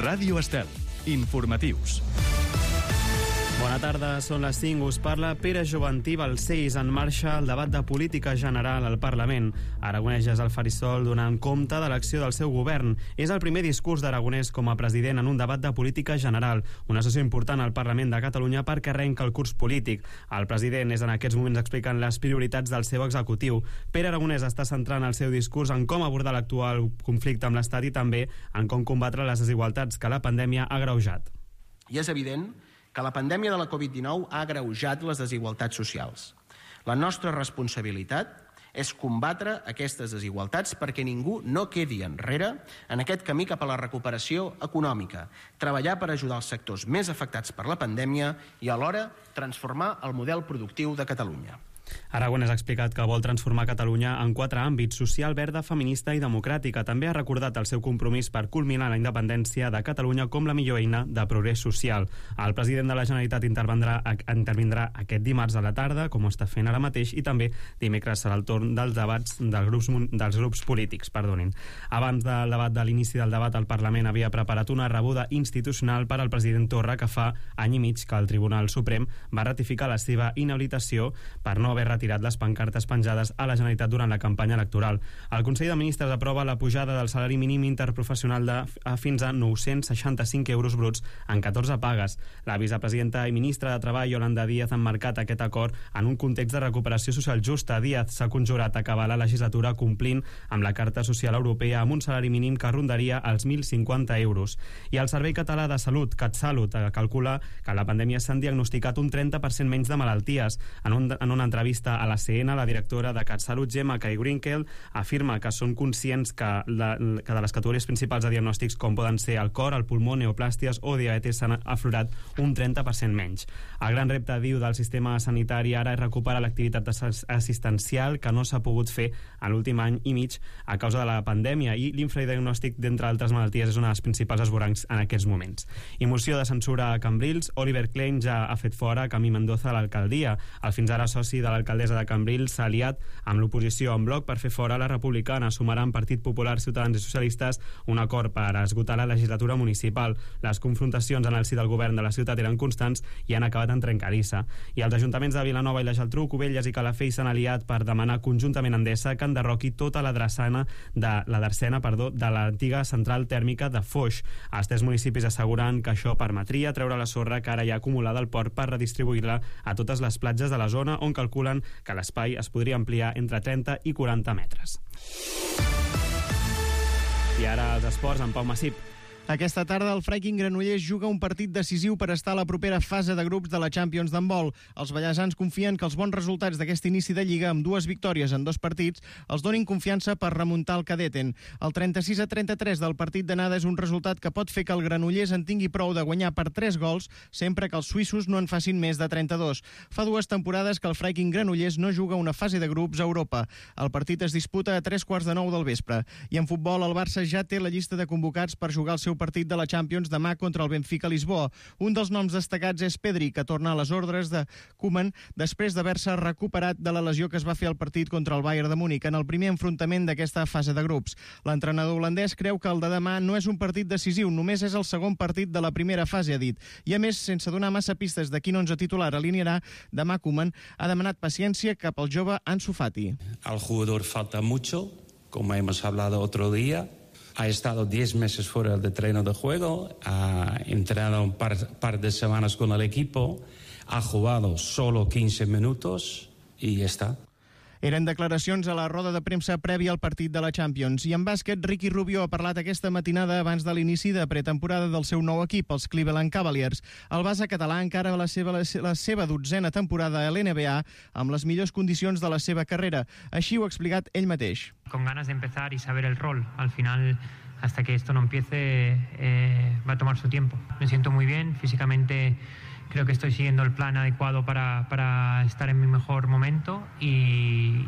Ràdio Estel. Informatius. Bona tarda, són les 5, us parla Pere Joventí Balcells. En marxa el debat de política general al Parlament. Aragonès és al faristol donant compte de l'acció del seu govern. És el primer discurs d'Aragonès com a president en un debat de política general, una sessió important al Parlament de Catalunya perquè arrenca el curs polític. El president és en aquests moments explicant les prioritats del seu executiu. Pere Aragonès està centrant el seu discurs en com abordar l'actual conflicte amb l'Estat i també en com combatre les desigualtats que la pandèmia ha agreujat. I és evident que la pandèmia de la Covid-19 ha agreujat les desigualtats socials. La nostra responsabilitat és combatre aquestes desigualtats perquè ningú no quedi enrere en aquest camí cap a la recuperació econòmica, treballar per ajudar els sectors més afectats per la pandèmia i alhora transformar el model productiu de Catalunya. Aragonès ha explicat que vol transformar Catalunya en 4 àmbits: social, verda, feminista i democràtica. També ha recordat el seu compromís per culminar la independència de Catalunya com la millor eina de progrés social. El president de la Generalitat intervindrà aquest dimarts a la tarda, com ho està fent ara mateix, i també dimecres serà el torn dels debats dels grups polítics. Abans del debat de l'inici del debat, el Parlament havia preparat una rebuda institucional per al president Torra, que fa any i mig que el Tribunal Suprem va ratificar la seva inhabilitació per no haver retirat les pancartes penjades a la Generalitat durant la campanya electoral. El Consell de Ministres aprova la pujada del salari mínim interprofessional fins a 965 euros bruts en 14 pagues. La vicepresidenta i ministra de Treball, Yolanda Díaz, han marcat aquest acord en un context de recuperació social justa. Díaz s'ha conjurat a acabar la legislatura complint amb la Carta Social Europea amb un salari mínim que rondaria els 1.050 euros. I el Servei Català de Salut, CatSalut, calcula que a la pandèmia s'han diagnosticat un 30% menys de malalties. En una entrevista a la CN, la directora de CatSalut, Gemma Caigrinkel, afirma que són conscients que de les categories principals de diagnòstics, com poden ser el cor, el pulmó, neoplàsties o diabetes, s'han aflorat un 30% menys. El gran repte, diu, del sistema sanitari ara és recuperar l'activitat assistencial que no s'ha pogut fer en l'últim any i mig a causa de la pandèmia, i l'infradiagnòstic, d'entre altres malalties, és una de les principals esvorancs en aquests moments. I moció de censura a Cambrils. Oliver Klein ja ha fet fora Camí Mendoza a l'alcaldia. El fins ara soci de l'alcaldessa de Cambrils s'ha aliat amb l'oposició en bloc per fer fora la republicana. Sumaran Partit Popular, Ciutadans i Socialistes un acord per esgotar la legislatura municipal. Les confrontacions en el si del govern de la ciutat eren constants i han acabat en trencadissa. I els ajuntaments de Vilanova i la Geltrú, Cubelles i Calafell s'han aliat per demanar conjuntament a Endesa que enderroqui tota la drassana de l'antiga central tèrmica de Foix. Els 3 municipis asseguren que això permetria treure la sorra que ara hi ha acumulada al port per redistribuir-la a totes les platges de la zona, on calculen que l'espai es podria ampliar entre 30 i 40 metres. I ara els esports amb Pau Massip. Aquesta tarda el Freiking Granollers juga un partit decisiu per estar a la propera fase de grups de la Champions d'handbol. Els ballesans confien que els bons resultats d'aquest inici de Lliga, amb 2 victòries en 2 partits, els donin confiança per remuntar el Cadeten. El 36-33 del partit d'anada és un resultat que pot fer que el Granollers en tingui prou de guanyar per 3 gols, sempre que els suïssos no en facin més de 32. Fa 2 temporades que el Freiking Granollers no juga una fase de grups a Europa. El partit es disputa a 3:15 del vespre. I en futbol, el Barça ja té la llista de convocats per jugar el seu partit de la Champions demà contra el Benfica Lisboa. Un dels noms destacats és Pedri, que torna a les ordres de Koeman després d'haver-se recuperat de la lesió que es va fer al partit contra el Bayern de Múnich en el primer enfrontament d'aquesta fase de grups. L'entrenador holandès creu que el de demà no és un partit decisiu, només és el segon partit de la primera fase, ha dit. I a més, sense donar massa pistes de quin 11 titular alinearà, demà Koeman ha demanat paciència cap al jove Ansu Fati. Al jugador falta mucho, como hemos hablado otro día. Ha estado 10 meses fuera del terreno de juego, ha entrenado un par de semanas con el equipo, ha jugado solo 15 minutos y ya está. Eren declaracions a la roda de premsa prèvia al partit de la Champions. I en bàsquet, Ricky Rubio ha parlat aquesta matinada abans de l'inici de pretemporada del seu nou equip, els Cleveland Cavaliers. El base català encara la seva 12a temporada a l'NBA amb les millors condicions de la seva carrera. Així ho ha explicat ell mateix. Con ganas de empezar y saber el rol. Al final, hasta que esto no empiece, va a tomar su tiempo. Me siento muy bien, físicamente creo que estoy siguiendo el plan adecuado para estar en mi mejor momento y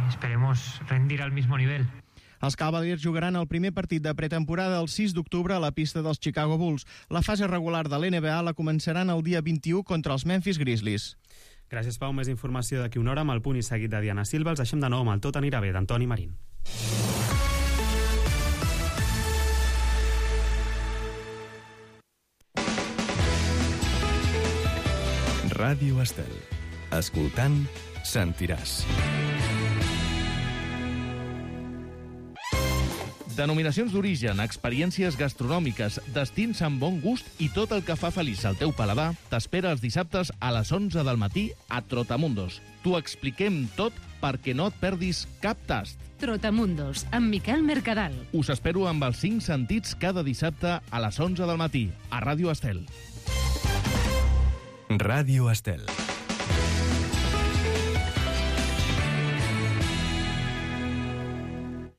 esperemos rendir al mismo nivel. Els Cavaliers jugaran el primer partit de pretemporada el 6 d'octubre a la pista dels Chicago Bulls. La fase regular de l'NBA la començaran el dia 21 contra els Memphis Grizzlies. Gràcies, Pau. Més informació d'aquí una hora amb el punt i seguit de Diana Silva. Els deixem de nou amb el Tot anirà bé, d'Antoni Marín. Ràdio Estel. Escoltant, sentiràs. Denominacions d'origen, experiències gastronòmiques, destins amb bon gust i tot el que fa feliç al teu paladar t'espera els dissabtes a les 11 del matí a Trotamundos. T'ho expliquem tot perquè no et perdis cap tast. Trotamundos, amb Miquel Mercadal. Us espero amb els 5 sentits cada dissabte a les 11 del matí a Ràdio Estel. Ràdio Estel.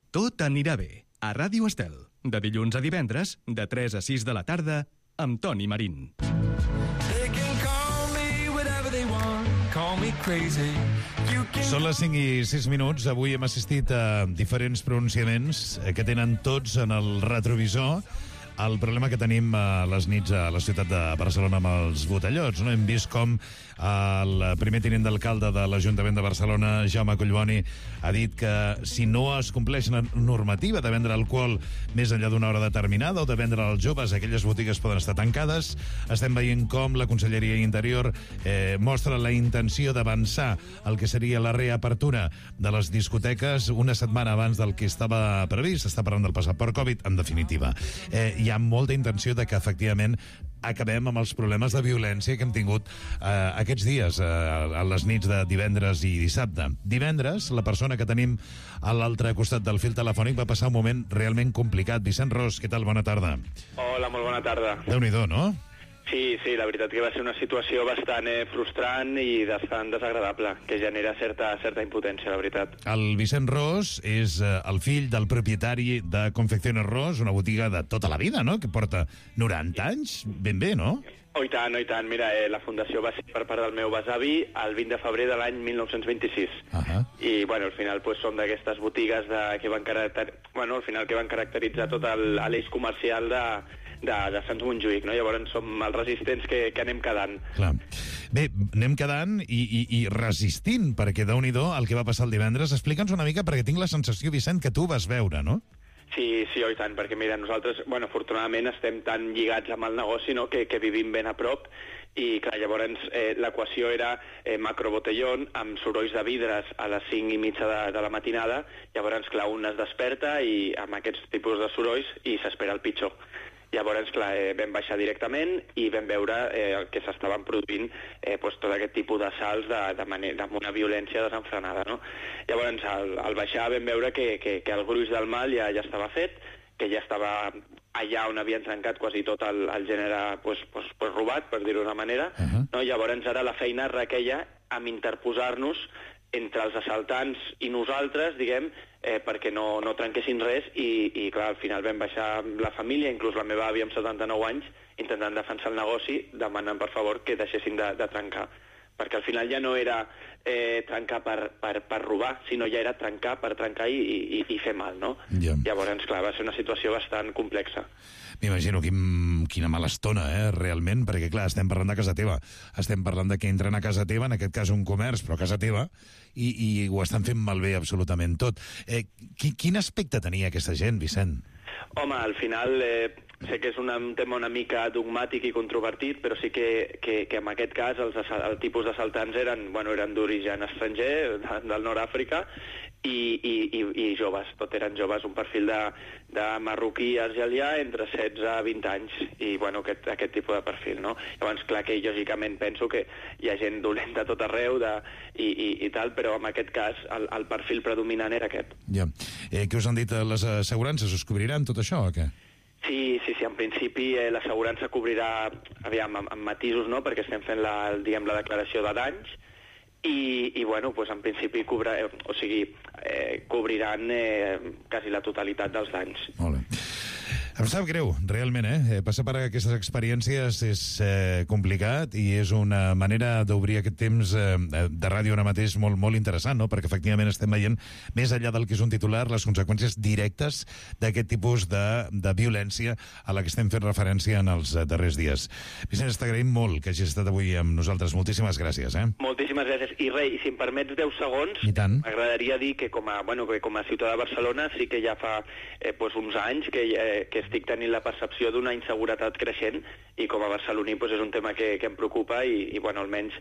Tot anirà bé. A Ràdio Estel, de dilluns a divendres, de 3 a 6 de la tarda, amb Toni Marín. Són les 5 i 6 minuts. Avui hem assistit a diferents pronunciaments que tenen tots en el retrovisor el problema que tenim a les nits a la ciutat de Barcelona amb els botellots. No? Hem vist com el primer tinent d'alcalde de l'Ajuntament de Barcelona, Jaume Collboni, ha dit que si no es compleix la normativa de vendre alcohol més enllà d'una hora determinada o de vendre als joves, aquelles botigues poden estar tancades. Estem veient com la Conselleria d'Interior mostra la intenció d'avançar el que seria la reapertura de les discoteques una setmana abans del que estava previst. S'està parlant del passaport Covid, en definitiva. Hi ha molta intenció de que, efectivament, acabem amb els problemes de violència que hem tingut aquests dies, a les nits de divendres i dissabte. Divendres, la persona que tenim a l'altre costat del fil telefònic va passar un moment realment complicat. Vicent Ros, què tal? Bona tarda. Hola, molt bona tarda. Déu-n'hi-do, no? Sí, la veritat que va ser una situació bastant frustrant i bastant desagradable, que genera certa impotència, la veritat. El Vicent Ros és el fill del propietari de Confecciones Ros, una botiga de tota la vida, no?, que porta 90 anys, ben bé, no? Oh, i tant. Mira, la fundació va ser per part del meu besavi el 20 de febrer de l'any 1926. I, al final, som d'aquestes botigues que van caracteritzar tot l'eix comercial de Sant Montjuïc, no? Llavors som els resistents que anem quedant. Clar. Bé, anem quedant i resistint, perquè déu-n'hi-do el que va passar el divendres. Explica'ns una mica, perquè tinc la sensació, Vicent, que tu vas veure, no? Sí, oh, i tant, perquè mira, nosaltres, afortunadament estem tan lligats amb el negoci, no?, que vivim ben a prop, i clar, llavors l'equació era macrobotellón amb sorolls de vidres a les 5:30 de la matinada. Llavors, clar, un es desperta i amb aquests tipus de sorolls i s'espera el pitjor. Llavors, clar, vam baixar directament i vam veure que s'estaven produint tot aquest tipus d'assalts amb una violència desenfrenada, no? Llavors, al baixar vam veure que el gruix del mal ja estava fet, que ja estava allà on havien trencat quasi tot el gènere robat, per dir-ho d'una manera. No? Llavors, ara la feina requeia amb interposar-nos entre els assaltants i nosaltres, diguem, perquè no trenquessin res i clar, al final vam baixar la família, inclús la meva àvia amb 79 anys, intentant defensar el negoci, demanant per favor que deixessin de trencar. Perquè al final ja no era trencar per robar, sinó ja era trencar per trencar i fer mal, no? Ja. Llavors, clar, va ser una situació bastant complexa. M'imagino quina mala estona, realment, perquè, clar, estem parlant de casa teva. Estem parlant de que entren a casa teva, en aquest cas un comerç, però a casa teva, i ho estan fent malbé absolutament tot. Quin aspecte tenia aquesta gent, Vicent? Home, al final sé que és un tema una mica dogmàtic i controvertit, però sí que en aquest cas el tipus d'assaltants eren d'origen estranger, del Nord-Àfrica, i joves, tot eren joves, un perfil de marroquí argelià entre 16 a 20 anys, i aquest tipus de perfil, no? Llavors, clar que lògicament penso que hi ha gent dolenta a tot arreu i tal, però en aquest cas el perfil predominant era aquest. Ja. Què us han dit les assegurances? Us cobriran tot això o què? Sí, en principi l'assegurança cobrirà, amb matisos, no?, perquè estem fent la declaració de danys, i en principi cobriran quasi la totalitat dels danys. Molt bé. Em sap greu, realment, passar per aquestes experiències és complicat i és una manera d'obrir aquest temps de ràdio ara mateix molt interessant, no? Perquè efectivament estem veient, més enllà del que és un titular, les conseqüències directes d'aquest tipus de violència a la que estem fent referència en els darrers dies. Vicent, t'agraïm molt que hagis estat avui amb nosaltres. Moltíssimes gràcies. Moltíssimes gràcies. I si em permets 10 segons, m'agradaria dir que com a ciutadà de Barcelona sí que ja fa uns anys que estic tenint la percepció d'una inseguretat creixent i com a barceloní doncs és un tema que em preocupa i bueno, almenys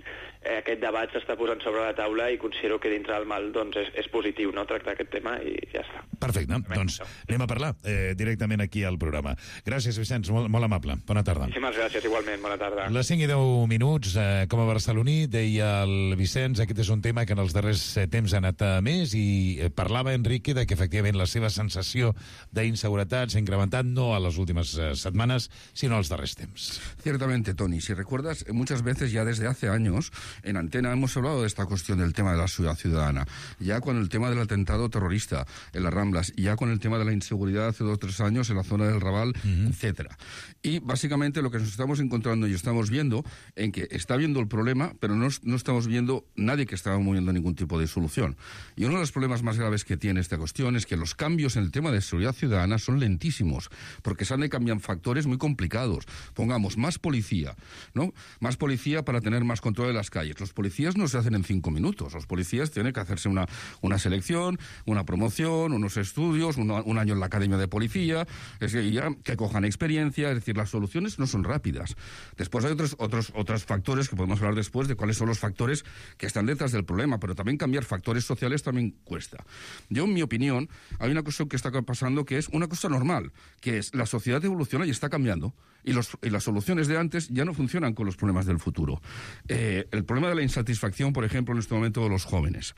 aquest debat s'està posant sobre la taula i considero que dintre del mal doncs és positiu, no?, tractar aquest tema i ja està. Perfecte, doncs anem a parlar directament aquí al programa. Gràcies, Vicenç, molt amable. Bona tarda. Moltíssimes gràcies, igualment, bona tarda. Les 5 i 10 minuts, com a barceloní, deia el Vicenç, aquest és un tema que en els darrers temps ha anat més i parlava Enrique de que efectivament la seva sensació d'inseguretat s'ha incrementat no a les últimes setmanes, sinó als darrers temps. Ciertamente, Tony, si recuerdas, muchas veces ya desde hace años en Antena hemos hablado de esta cuestión del tema de la seguridad ciudadana, ya con el tema del atentado terrorista en las Ramblas, ya con el tema de la inseguridad hace 2 o 3 años en la zona del Raval, etcétera. Y básicamente lo que nos estamos encontrando y estamos viendo en que está viendo el problema, pero no estamos viendo nadie que está moviendo ningún tipo de solución. Y uno de los problemas más graves que tiene esta cuestión es que los cambios en el tema de seguridad ciudadana son lentísimos, porque se han de cambiar factores muy complicados. Pongamos más policía, ¿no? Más policía para tener más control de las calles. Los policías no se hacen en 5 minutos. Los policías tienen que hacerse una selección, una promoción, unos estudios, un año en la academia de policía, es decir, ya que cojan experiencia, es decir, las soluciones no son rápidas. Después hay otros factores que podemos hablar después de cuáles son los factores que están detrás del problema, pero también cambiar factores sociales también cuesta. Yo, en mi opinión, hay una cosa que está pasando que es una cosa normal, que es la sociedad evoluciona y está cambiando, y las soluciones de antes ya no funcionan con los problemas del futuro. El problema de la insatisfacción, por ejemplo, en este momento de los jóvenes.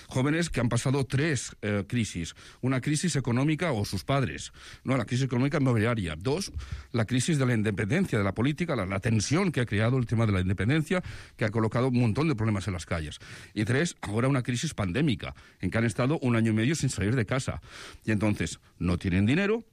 Jóvenes que han pasado 3 crisis. Una crisis económica o sus padres, ¿no? La crisis económica inmobiliaria. 2, la crisis de la independencia de la política, la tensión que ha creado el tema de la independencia, que ha colocado un montón de problemas en las calles. Y 3, ahora una crisis pandémica, en que han estado 1 año y medio sin salir de casa. Y entonces no tienen dinero,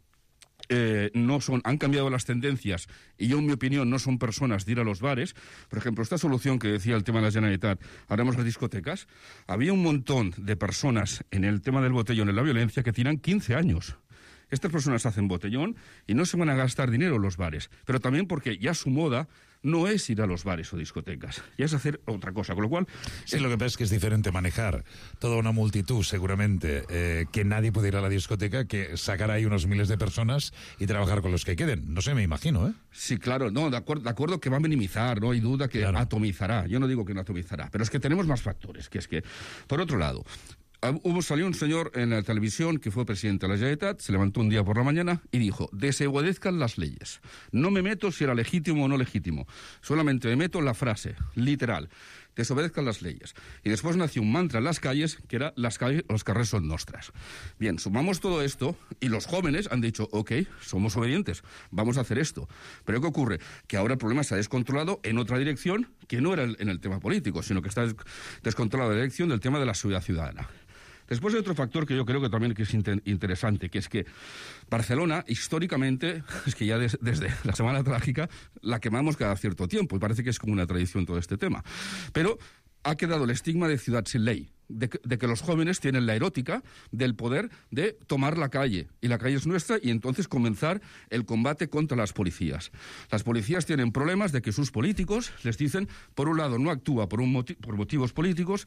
han cambiado las tendencias y yo, en mi opinión, no son personas de ir a los bares. Por ejemplo, esta solución que decía el tema de la Generalitat, haremos las discotecas, había un montón de personas en el tema del botellón, en la violencia, que tienen 15 años. Estas personas hacen botellón y no se van a gastar dinero en los bares, pero también porque ya su moda no es ir a los bares o discotecas, ya es hacer otra cosa, con lo cual... Sí, lo que pasa es que es diferente manejar toda una multitud, seguramente, que nadie puede ir a la discoteca, que sacar ahí unos miles de personas y trabajar con los que queden. No sé, me imagino, ¿eh? Sí, claro, no, de acuerdo que va a minimizar, no hay duda que atomizará. Yo no digo que no atomizará, pero es que tenemos más factores, que es que, por otro lado... Salió un señor en la televisión que fue presidente de la Generalitat, se levantó un día por la mañana y dijo: desobedezcan las leyes. No me meto si era legítimo o no legítimo, solamente me meto en la frase, literal, desobedezcan las leyes. Y después nació un mantra en las calles, que era los carrers son nostras. Bien, sumamos todo esto y los jóvenes han dicho, ok, somos obedientes, vamos a hacer esto. Pero ¿qué ocurre? Que ahora el problema se ha descontrolado en otra dirección, que no era en el tema político, sino que está descontrolado en la dirección del tema de la seguridad ciudadana. Después hay otro factor que yo creo que también es interesante, que es que Barcelona, históricamente, es que ya desde la Semana Trágica la quemamos cada cierto tiempo, y parece que es como una tradición todo este tema. Pero ha quedado el estigma de ciudad sin ley, de que los jóvenes tienen la erótica del poder de tomar la calle, y la calle es nuestra, y entonces comenzar el combate contra las policías. Las policías tienen problemas de que sus políticos les dicen, por un lado, no actúa por motivos políticos,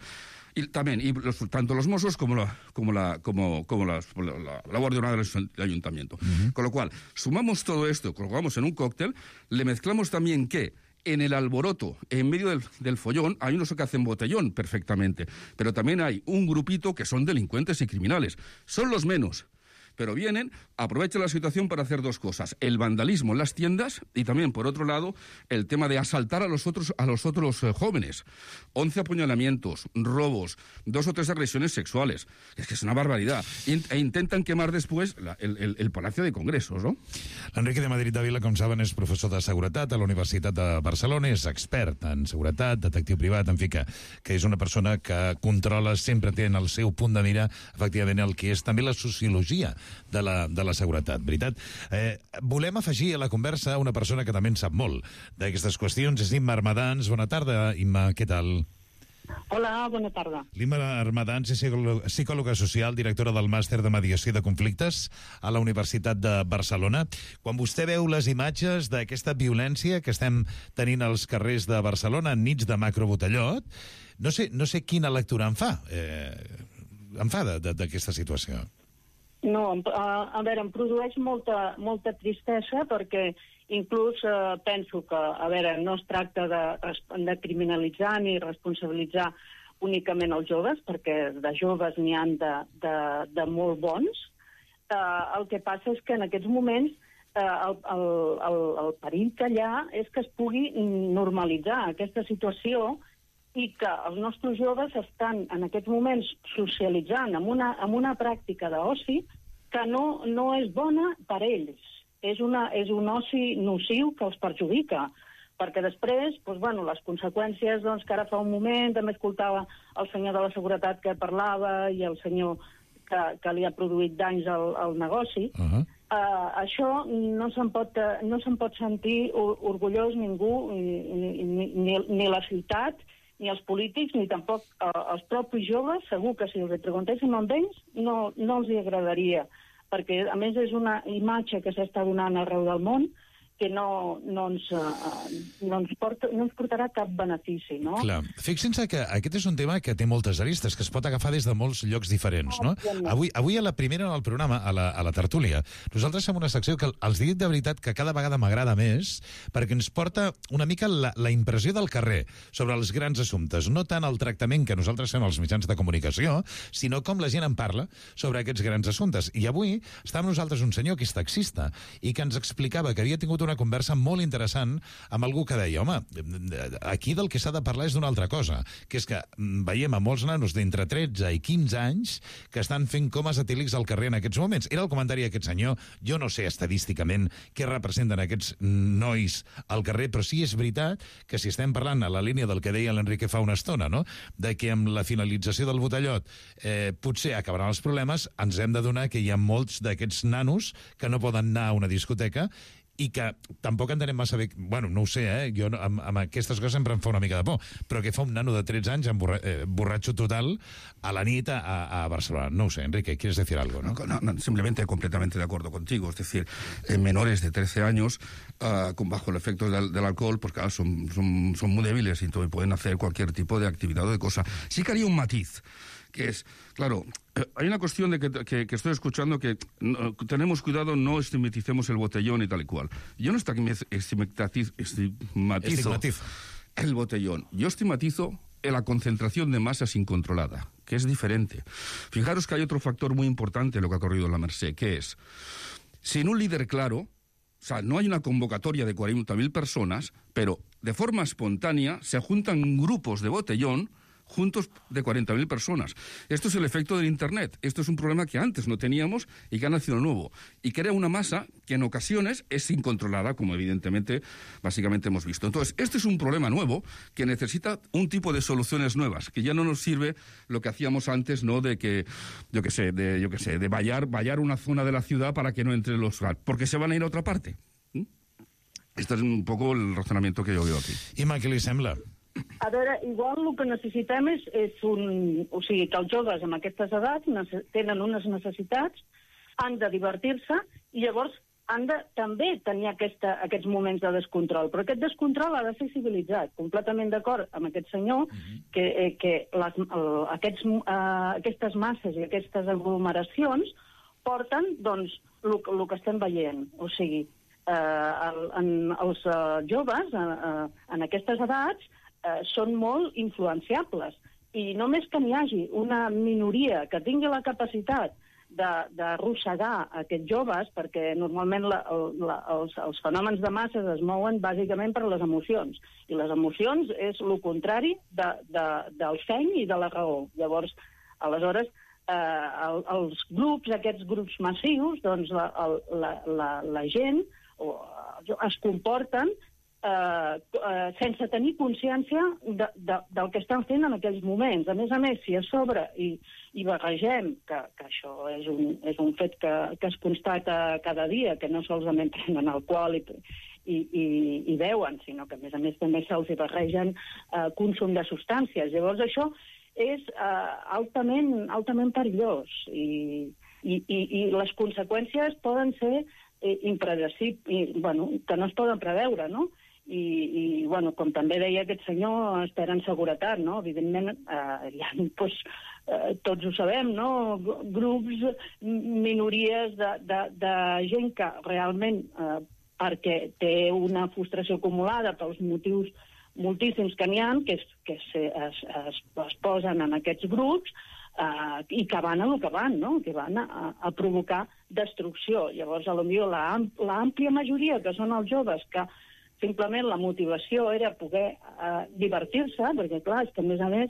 y también tanto los Mossos como la Guardia Urbana del Ayuntamiento. Con lo cual, sumamos todo esto, colocamos en un cóctel, le mezclamos también que en el alboroto, en medio del follón, hay unos que hacen botellón perfectamente, pero también hay un grupito que son delincuentes y criminales. Son los menos, pero vienen, aprovechan la situación para hacer 2 cosas: el vandalismo en las tiendas y también, por otro lado, el tema de asaltar a los otros jóvenes. 11 apuñalamientos, robos, 2 o 3 agresiones sexuales. Es que es una barbaridad. E intentan quemar después el Palacio de Congresos, no? L'Enrique de Madrid de Vila, com saben, és professor de seguretat a la Universitat de Barcelona, és expert en seguretat, detectiu privat, en fi, que és una persona que controla, sempre té en el seu punt de mira, efectivament, el que és també la sociologia de la seguretat, veritat? Volem afegir a la conversa una persona que també en sap molt d'aquestes qüestions, és Imma Armadans. Bona tarda, Imma, què tal? Hola, bona tarda. L'Imma Armadans és psicòloga social, directora del màster de mediació de conflictes a la Universitat de Barcelona. Quan vostè veu les imatges d'aquesta violència que estem tenint als carrers de Barcelona en nits de macrobotellot, no sé quina lectura em fa d'aquesta situació. No, a veure, em produeix molta tristesa perquè inclús penso que, a veure, no es tracta de criminalitzar ni responsabilitzar únicament els joves, perquè de joves n'hi han de molt bons. El que passa és que en aquests moments el perill que hi ha és que es pugui normalitzar aquesta situació i que els nostres joves estan en aquests moments socialitzant amb una pràctica d'oci que no és bona per ells. És un oci nociu que els perjudica, perquè després, les conseqüències, que ara fa un moment també escoltava el senyor de la seguretat que parlava i el senyor que li ha produït danys al negoci, això no se'n pot sentir orgullós ningú, ni la ciutat, ni els polítics, ni tampoc els propis joves. Segur que si els preguntéssim amb ells no els hi agradaria, perquè a més és una imatge que s'està donant arreu del món que no ens portarà cap benefici, no? Clar. Fixin-se que aquest és un tema que té moltes aristes, que es pot agafar des de molts llocs diferents, no? Avui a la primera del programa, a la tertúlia, nosaltres fem una secció que els dic de veritat que cada vegada m'agrada més, perquè ens porta una mica la impressió del carrer sobre els grans assumptes, no tant el tractament que nosaltres fem als mitjans de comunicació, sinó com la gent en parla sobre aquests grans assumptes. I avui està amb nosaltres un senyor que és taxista i que ens explicava que havia tingut una conversa molt interessant amb algú que deia, home, aquí del que s'ha de parlar és d'una altra cosa, que és que veiem a molts nanos d'entre 13 i 15 anys que estan fent comes etílics al carrer en aquests moments. Era el comentari d'aquest senyor. Jo no sé estadísticament què representen aquests nois al carrer, però sí és veritat que si estem parlant a la línia del que deia l'Enrique fa una estona, no?, de que amb la finalització del botellot potser acabaran els problemes, ens hem d'adonar que hi ha molts d'aquests nanos que no poden anar a una discoteca i que tampoc entenem massa bé, bueno, no ho sé, jo amb aquestes coses sempre em fa una mica de por, però que fa un nano de 13 anys borratxo total a la nit a Barcelona. No ho sé, Enrique, ¿quieres decir algo? No, simplemente completamente de acuerdo contigo, es decir, menores de 13 años bajo el efecto del alcohol, pues claro, son muy débiles y pueden hacer cualquier tipo de actividad o de cosa. Sí que haría un matiz, que es, claro, hay una cuestión de que estoy escuchando que tenemos cuidado, no estigmaticemos el botellón y tal y cual. Yo no estigmatizo el botellón. Yo estigmatizo la concentración de masas incontrolada, que es diferente. Fijaros que hay otro factor muy importante en lo que ha ocurrido en la Merced, que es, sin un líder claro, o sea, no hay una convocatoria de 40.000 personas, pero de forma espontánea se juntan grupos de botellón juntos de 40.000 personas. Esto es el efecto del Internet. Esto es un problema que antes no teníamos y que ha nacido nuevo. Y crea una masa que en ocasiones es incontrolada, como evidentemente, básicamente hemos visto. Entonces, este es un problema nuevo que necesita un tipo de soluciones nuevas, que ya no nos sirve lo que hacíamos antes, ¿no?, de que, de vallar una zona de la ciudad para que no entre los... porque se van a ir a otra parte. Este es un poco el razonamiento que yo veo aquí. Imma, què li sembla? A veure, igual el que necessitem és o sigui, que els joves amb aquestes edats tenen unes necessitats, han de divertir-se i llavors han de també tenir aquests moments de descontrol. Però aquest descontrol ha de ser civilitzat. Completament d'acord amb aquest senyor que aquestes masses i aquestes aglomeracions porten, doncs, el que estem veient. O sigui, els joves en aquestes edats són molt influenciables i només que n'hi hagi una minoria que tingui la capacitat d'arrossegar aquests joves, perquè normalment els fenòmens de masses es mouen bàsicament per les emocions, i les emocions és el contrari del seny i de la raó. Llavors, aleshores, els grups, aquests grups massius, doncs la gent es comporten sense tenir consciència del que estan fent en aquells moments. A més, si a sobre i barregem, que això és un fet que es constata cada dia, que no solament prenen alcohol i beuen, sinó que a més també se'ls barregen consum de substàncies. Llavors això és altament perillós i les conseqüències poden ser impredecibles, que no es poden preveure, no? Com també deia aquest senyor, esperen seguretat, no? Evidentment, hi ha tots ho sabem, no? Grups, minories de gent que realment, perquè té una frustració acumulada pels motius moltíssims que n'hi ha, que es posen en aquests grups i que van a lo que van, no? Que van a provocar destrucció. Llavors, potser l'àmplia majoria, que són els joves, que simplement la motivació era poder divertir-se, perquè clar, és que a més,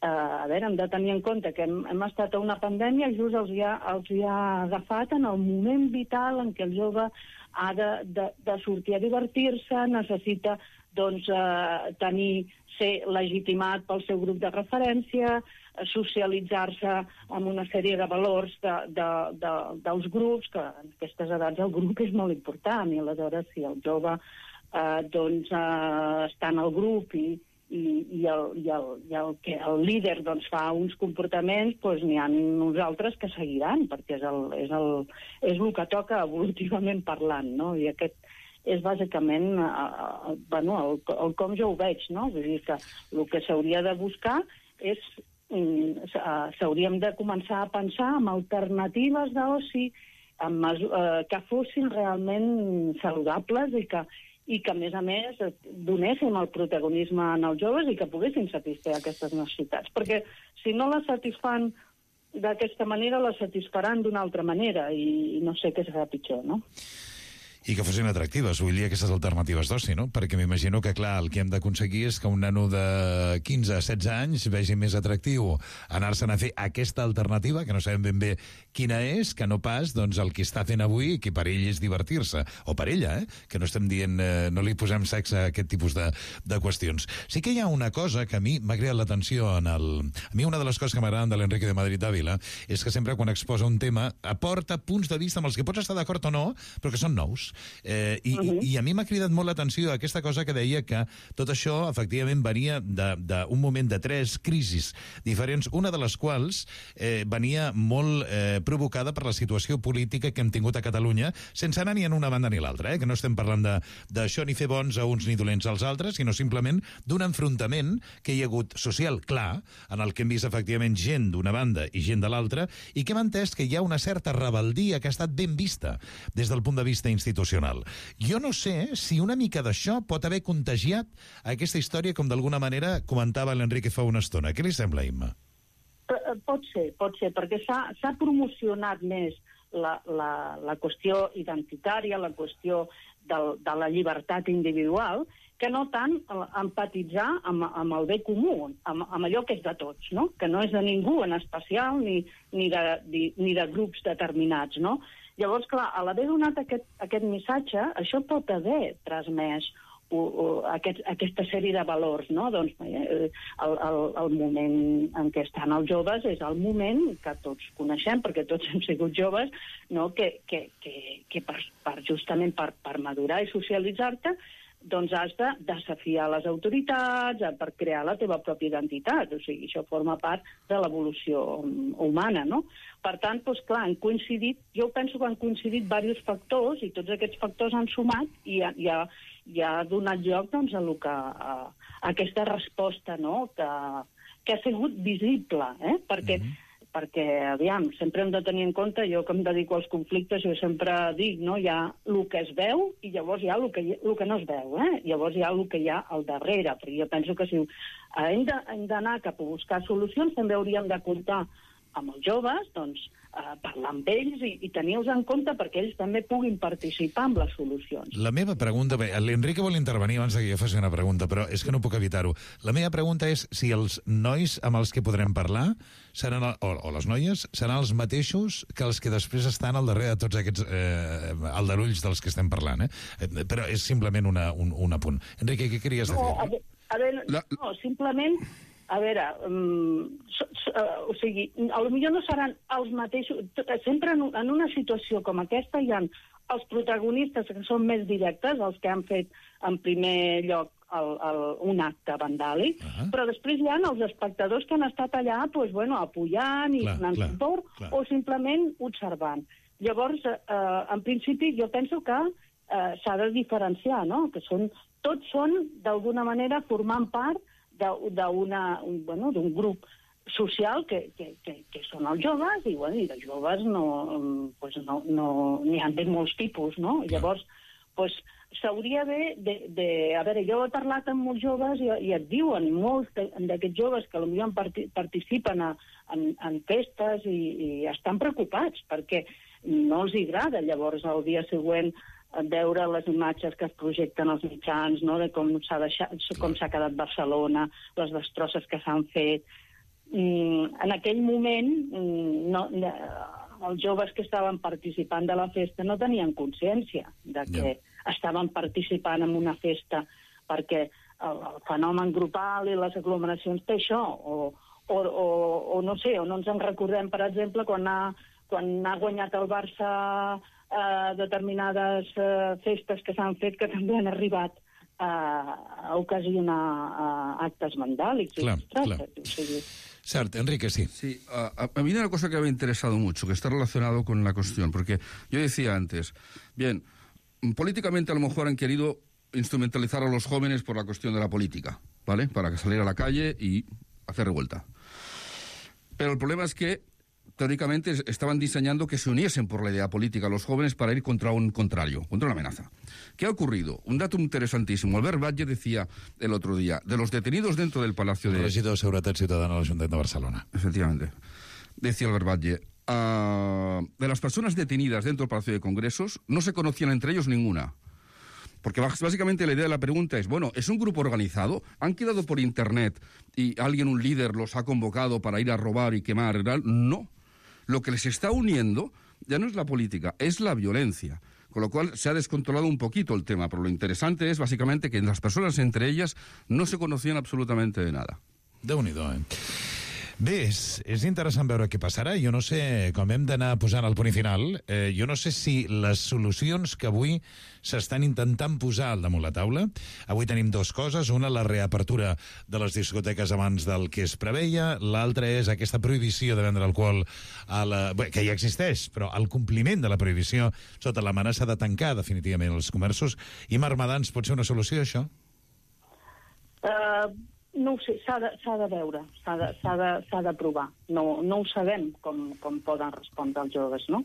hem de tenir en compte que hem estat a una pandèmia i just els hi ha agafat en el moment vital en què el jove ha de sortir a divertir-se, necessita ser legitimat pel seu grup de referència, socialitzar-se amb una sèrie de valors dels grups, que en aquestes edats el grup és molt important, i aleshores si el jove està en el grup i el líder fa uns comportaments, n'hi ha nosaltres que seguiran, perquè és el que toca evolutivament parlant, no? I aquest és bàsicament el com jo ho veig, no? Vull dir que el que s'hauria de buscar és s'hauríem de començar a pensar en alternatives d'oci que fossin realment saludables i que, a més, donéssim el protagonisme als joves i que poguessin satisfer aquestes necessitats. Perquè si no les satisfan d'aquesta manera, les satisfaran d'una altra manera i no sé què serà pitjor, no? I que fossin atractives, vull dir, aquestes alternatives d'oci, no? Perquè m'imagino que, clar, el que hem d'aconseguir és que un nano de 15 a 16 anys vegi més atractiu anar-se'n a fer aquesta alternativa, que no sabem ben bé quina és, que no pas, el que està fent avui, que per ell és divertir-se, o per ella, que no estem dient, no li posem sexe a aquest tipus de qüestions. Sí que hi ha una cosa que a mi m'ha creat l'atenció a mi una de les coses que m'agraden de l'Enrique de Madrid Ávila és que sempre quan exposa un tema aporta punts de vista amb els que pots estar d'acord o no, però que són nous. I a mi m'ha cridat molt l'atenció aquesta cosa que deia que tot això efectivament venia d'un moment de 3 crisis diferents, una de les quals venia molt provocada per la situació política que hem tingut a Catalunya, sense anar ni en una banda ni l'altra, que no estem parlant d'això ni fer bons a uns ni dolents als altres, sinó simplement d'un enfrontament que hi ha hagut social clar, en el que hem vist efectivament gent d'una banda i gent de l'altra, i que hem entès que hi ha una certa rebeldia que ha estat ben vista des del punt de vista institucional. Jo no sé si una mica d'això pot haver contagiat aquesta història, com d'alguna manera comentava l'Enrique fa una estona. Què li sembla, Imma? Pot ser, perquè s'ha promocionat més la qüestió identitària, la qüestió de la llibertat individual, que no tant empatitzar amb el bé comú, amb allò que és de tots, no? Que no és de ningú en especial ni de grups determinats, no? Llavors, clar, a l'haver donat aquest missatge, això pot haver transmès aquesta sèrie de valors, no? Doncs el moment en què estan els joves és el moment que tots coneixem, perquè tots hem sigut joves, no? Que justament per madurar i socialitzar-te, doncs has de desafiar les autoritats per crear la teva pròpia identitat. O sigui, això forma part de l'evolució humana, no? Per tant, doncs clar, jo penso que han coincidit diversos factors i tots aquests factors han sumat i ha donat lloc doncs, a aquesta resposta, no? Que ha sigut visible, perquè, aviam, sempre hem de tenir en compte, jo que em dedico als conflictes, jo sempre dic, no? Hi ha el que es veu i llavors hi ha el que no es veu, Llavors hi ha el que hi ha al darrere, perquè jo penso que si hem d'anar cap a buscar solucions, també hauríem de comptar amb els joves, doncs, parlar amb ells i tenir-los en compte perquè ells també puguin participar en les solucions. La meva pregunta... L'Enrique vol intervenir abans que jo faci una pregunta, però és que no puc evitar-ho. La meva pregunta és si els nois amb els que podrem parlar seran, o les noies seran els mateixos que els que després estan al darrere de tots aquests aldarulls dels que estem parlant. Però és simplement un apunt. Enrique, què queries dir? No, simplement... A veure, o sigui, potser no seran els mateixos... Sempre en una situació com aquesta hi ha els protagonistes que són més directes, els que han fet en primer lloc un acte vandàlic, però després hi ha els espectadors que han estat allà apoyant i donant suport o simplement observant. Llavors, en principi, jo penso que s'ha de diferenciar, no? Que tots són, d'alguna manera, formant part d'un grup social que són els joves, i, bueno, i de joves n'hi ha de molts tipus, no? Llavors, s'hauria de... A veure, jo he parlat amb molts joves i et diuen, molts d'aquests joves que potser participen en festes i estan preocupats perquè no els agrada llavors el dia següent veure les imatges que es projecten als mitjans, no? De com s'ha quedat Barcelona, les destrosses que s'han fet. En aquell moment, els joves que estaven participant de la festa no tenien consciència de que estaven participant en una festa perquè el fenomen grupal i les aglomeracions té això, o no sé, o no ens en recordem, per exemple, quan ha guanyat el Barça determinades festes que s'han fet que també han arribat a ocasionar actes vandàlics. Claro. Cert, Enrique, sí. Sí, a mí una cosa que me ha interesado mucho, que está relacionado con la cuestión, porque yo decía antes, bien, políticamente a lo mejor han querido instrumentalizar a los jóvenes por la cuestión de la política, ¿vale? Para salir a la calle y hacer revuelta. Pero el problema es que teóricamente estaban diseñando que se uniesen por la idea política los jóvenes para ir contra un contrario, contra una amenaza. ¿Qué ha ocurrido? Un dato interesantísimo. Albert Batlle decía el otro día, de los detenidos dentro del Palacio de... El regidor de Seguretat Ciutadana de l'Ajuntament de Barcelona. Efectivamente. Decía Albert Batlle, de las personas detenidas dentro del Palacio de Congresos, no se conocían entre ellos ninguna. Porque básicamente la idea de la pregunta es, bueno, ¿es un grupo organizado? ¿Han quedado por internet y alguien, un líder, los ha convocado para ir a robar y quemar? No. Lo que les está uniendo ya no es la política, es la violencia. Con lo cual se ha descontrolado un poquito el tema, pero lo interesante es básicamente que las personas entre ellas no se conocían absolutamente de nada. Déu-n'hi-do, Bé, és interessant veure què passarà. Jo no sé, com hem d'anar posant el punt i final, jo no sé si les solucions que avui s'estan intentant posar al damunt la taula, avui tenim dues coses, una la reapertura de les discoteques abans del que es preveia, l'altra és aquesta prohibició de vendre alcohol que ja existeix, però el compliment de la prohibició sota l'amenaça de tancar definitivament els comerços. I Marmadans, pot ser una solució, això? No ho sé, s'ha de veure, s'ha de provar. No ho sabem com poden respondre els joves, no?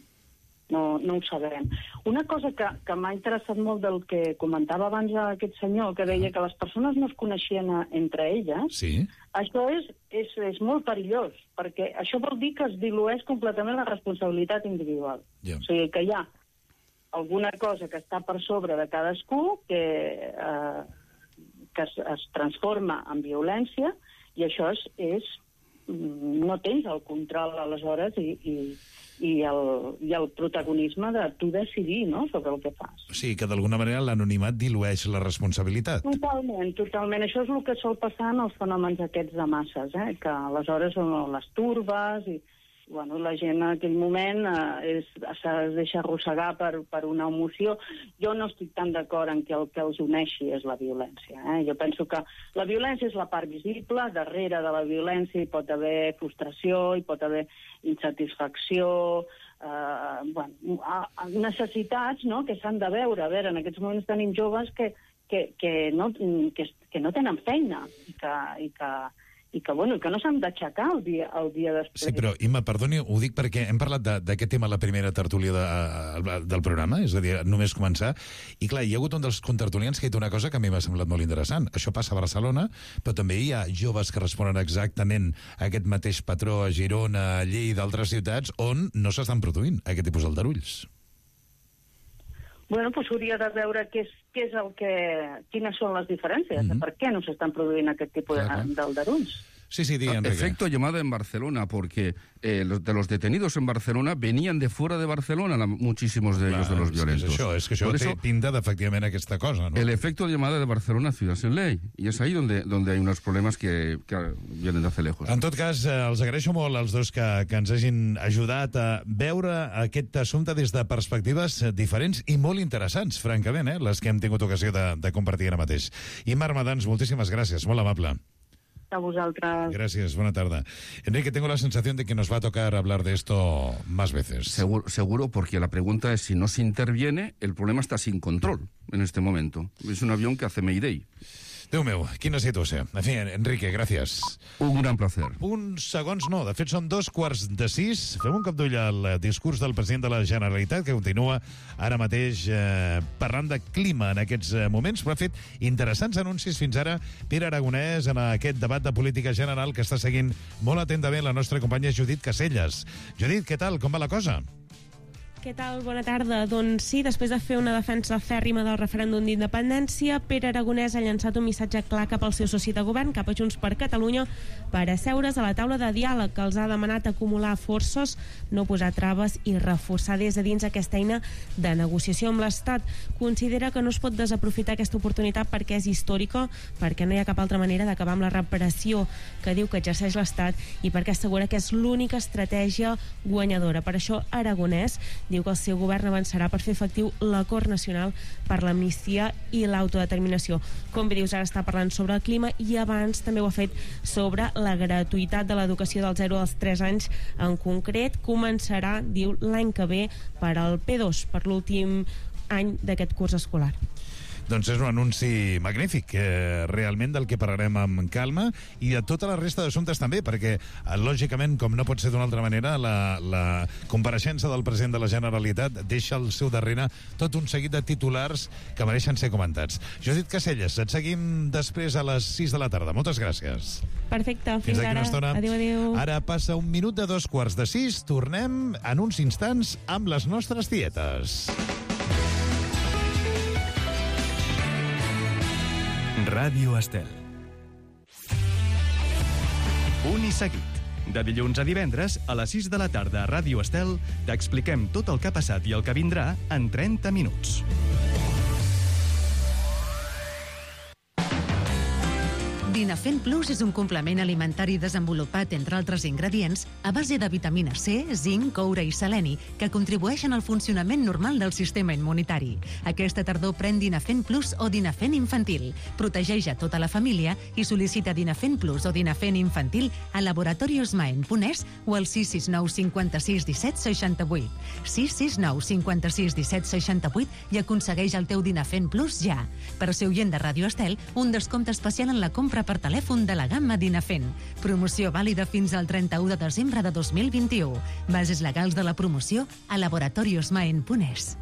No ho sabem. Una cosa que m'ha interessat molt del que comentava abans aquest senyor, que deia que les persones no es coneixien entre elles, sí. Això és molt perillós, perquè això vol dir que es dilueix completament la responsabilitat individual. Yeah. O sigui que hi ha alguna cosa que està per sobre de cadascú que es transforma en violència, i això no tens el control aleshores i el protagonisme de tu decidir, no?, sobre el que fas. Sí, que d'alguna manera l'anonimat dilueix la responsabilitat. Totalment. Això és el que sol passar en els fenòmens aquests de masses, que aleshores són les turbes i bueno, la gent en aquell moment es deixa arrossegar per una emoció. Jo no estic tan d'acord en que el que els uneixi és la violència. Jo penso que la violència és la part visible, darrere de la violència hi pot haver frustració, hi pot haver insatisfacció, necessitats, no?, que s'han de veure. A veure, en aquests moments tenim joves que no tenen feina i que no s'han d'aixecar el dia després. Sí, però, Imma, perdoni, ho dic perquè hem parlat d'aquest tema a la primera tertúlia del programa, és a dir, només començar, i clar, hi ha hagut un dels contertulians que ha dit una cosa que a mi m'ha semblat molt interessant. Això passa a Barcelona, però també hi ha joves que responen exactament a aquest mateix patró a Girona, a Lleida, d'altres ciutats, on no s'estan produint aquest tipus d'aldarulls. Bueno, doncs hauria de veure quines són les diferències, per què no s'estan produint aquest tipus d'aldarulls. Sí, di, Enrique. Efecto llamada en Barcelona, porque de los detenidos en Barcelona venían de fuera de Barcelona, muchísimos de ellos, de los violentos. És que això té pinta d'efectivament aquesta cosa, ¿no? El efecto de llamada de Barcelona, ciudad sin ley. Y es ahí donde hay unos problemas que vienen de hace lejos. En tot cas, els agraeixo molt als dos que ens hagin ajudat a veure aquest assumpte des de perspectives diferents i molt interessants, francament, les que hem tingut ocasió de compartir ara mateix. I Marmadans, moltíssimes gràcies, molt amable. A vosaltres. Gracias, buena tarde. Enrique, tengo la sensación de que nos va a tocar hablar de esto más veces. Seguro, porque la pregunta es si no se interviene, el problema está sin control en este momento. Es un avión que hace Mayday. Déu meu, quina situació. En fi, Enrique, gràcies. Un gran placer. Uns segons no, de fet són 5:15. Fem un cop d'ull al discurs del president de la Generalitat, que continua ara mateix parlant de clima en aquests moments, però ha fet interessants anuncis fins ara Pere Aragonès en aquest debat de política general que està seguint molt atentament la nostra companya Judit Caselles. Judit, què tal? Com va la cosa? Què tal? Bona tarda. Doncs sí, després de fer una defensa fèrrima del referèndum d'independència, Pere Aragonès ha llançat un missatge clar cap al seu soci de govern, cap a Junts per Catalunya, per asseure's a la taula de diàleg, que els ha demanat acumular forces, no posar traves i reforçar des de dins aquesta eina de negociació amb l'Estat. Considera que no es pot desaprofitar aquesta oportunitat perquè és històrica, perquè no hi ha cap altra manera d'acabar amb la repressió que diu que exerceix l'Estat i perquè assegura que és l'única estratègia guanyadora. Per això Aragonès diu que el seu govern avançarà per fer efectiu l'acord nacional per l'amnistia i l'autodeterminació. Com bé dius, ara està parlant sobre el clima i abans també ho ha fet sobre la gratuïtat de l'educació dels 0 als 3 anys. En concret, començarà, diu, l'any que ve per al P2, per l'últim any d'aquest curs escolar. Doncs és un anunci magnífic, realment del que parlarem amb calma, i de tota la resta d'assumptes també, perquè, lògicament, com no pot ser d'una altra manera, la compareixença del president de la Generalitat deixa al seu darrere tot un seguit de titulars que mereixen ser comentats. Judit Caselles, et seguim després a les 6 de la tarda. Moltes gràcies. Perfecte, fins ara. Adéu. Ara passa 1 minut de 5:15. Tornem en uns instants amb les nostres tietes. Ràdio Estel. Un i seguit. De dilluns a divendres, a les 6 de la tarda a Ràdio Estel, t'expliquem tot el que ha passat i el que vindrà en 30 minuts. Dinafen Plus és un complement alimentari desenvolupat, entre altres ingredients, a base de vitamina C, zinc, coure i seleni, que contribueixen al funcionament normal del sistema immunitari. Aquesta tardor pren Dinafen Plus o Dinafen Infantil. Protegeix a tota la família i sol·licita Dinafen Plus o Dinafen Infantil a laboratoriosmaen.es o al 669 56 17 68. 669 56 17 68 i aconsegueix el teu Dinafen Plus ja. Per ser oient de Ràdio Estel, un descompte especial en la compra per telèfon de la gamma Dinafen. Promoció vàlida fins al 31 de desembre de 2021. Bases legals de la promoció a laboratoriosmaen.es.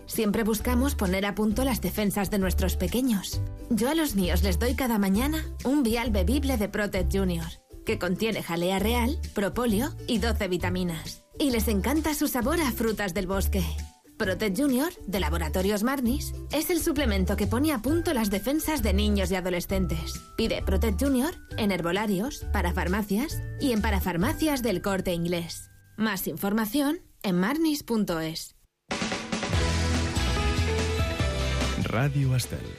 Siempre buscamos poner a punto las defensas de nuestros pequeños. Yo a los míos les doy cada mañana un vial bebible de Protect Junior, que contiene jalea real, propóleo y 12 vitaminas. Y les encanta su sabor a frutas del bosque. Protect Junior, de Laboratorios Marnis, es el suplemento que pone a punto las defensas de niños y adolescentes. Pide Protect Junior en herbolarios, parafarmacias y en parafarmacias del Corte Inglés. Más información en marnis.es. Ràdio Estel.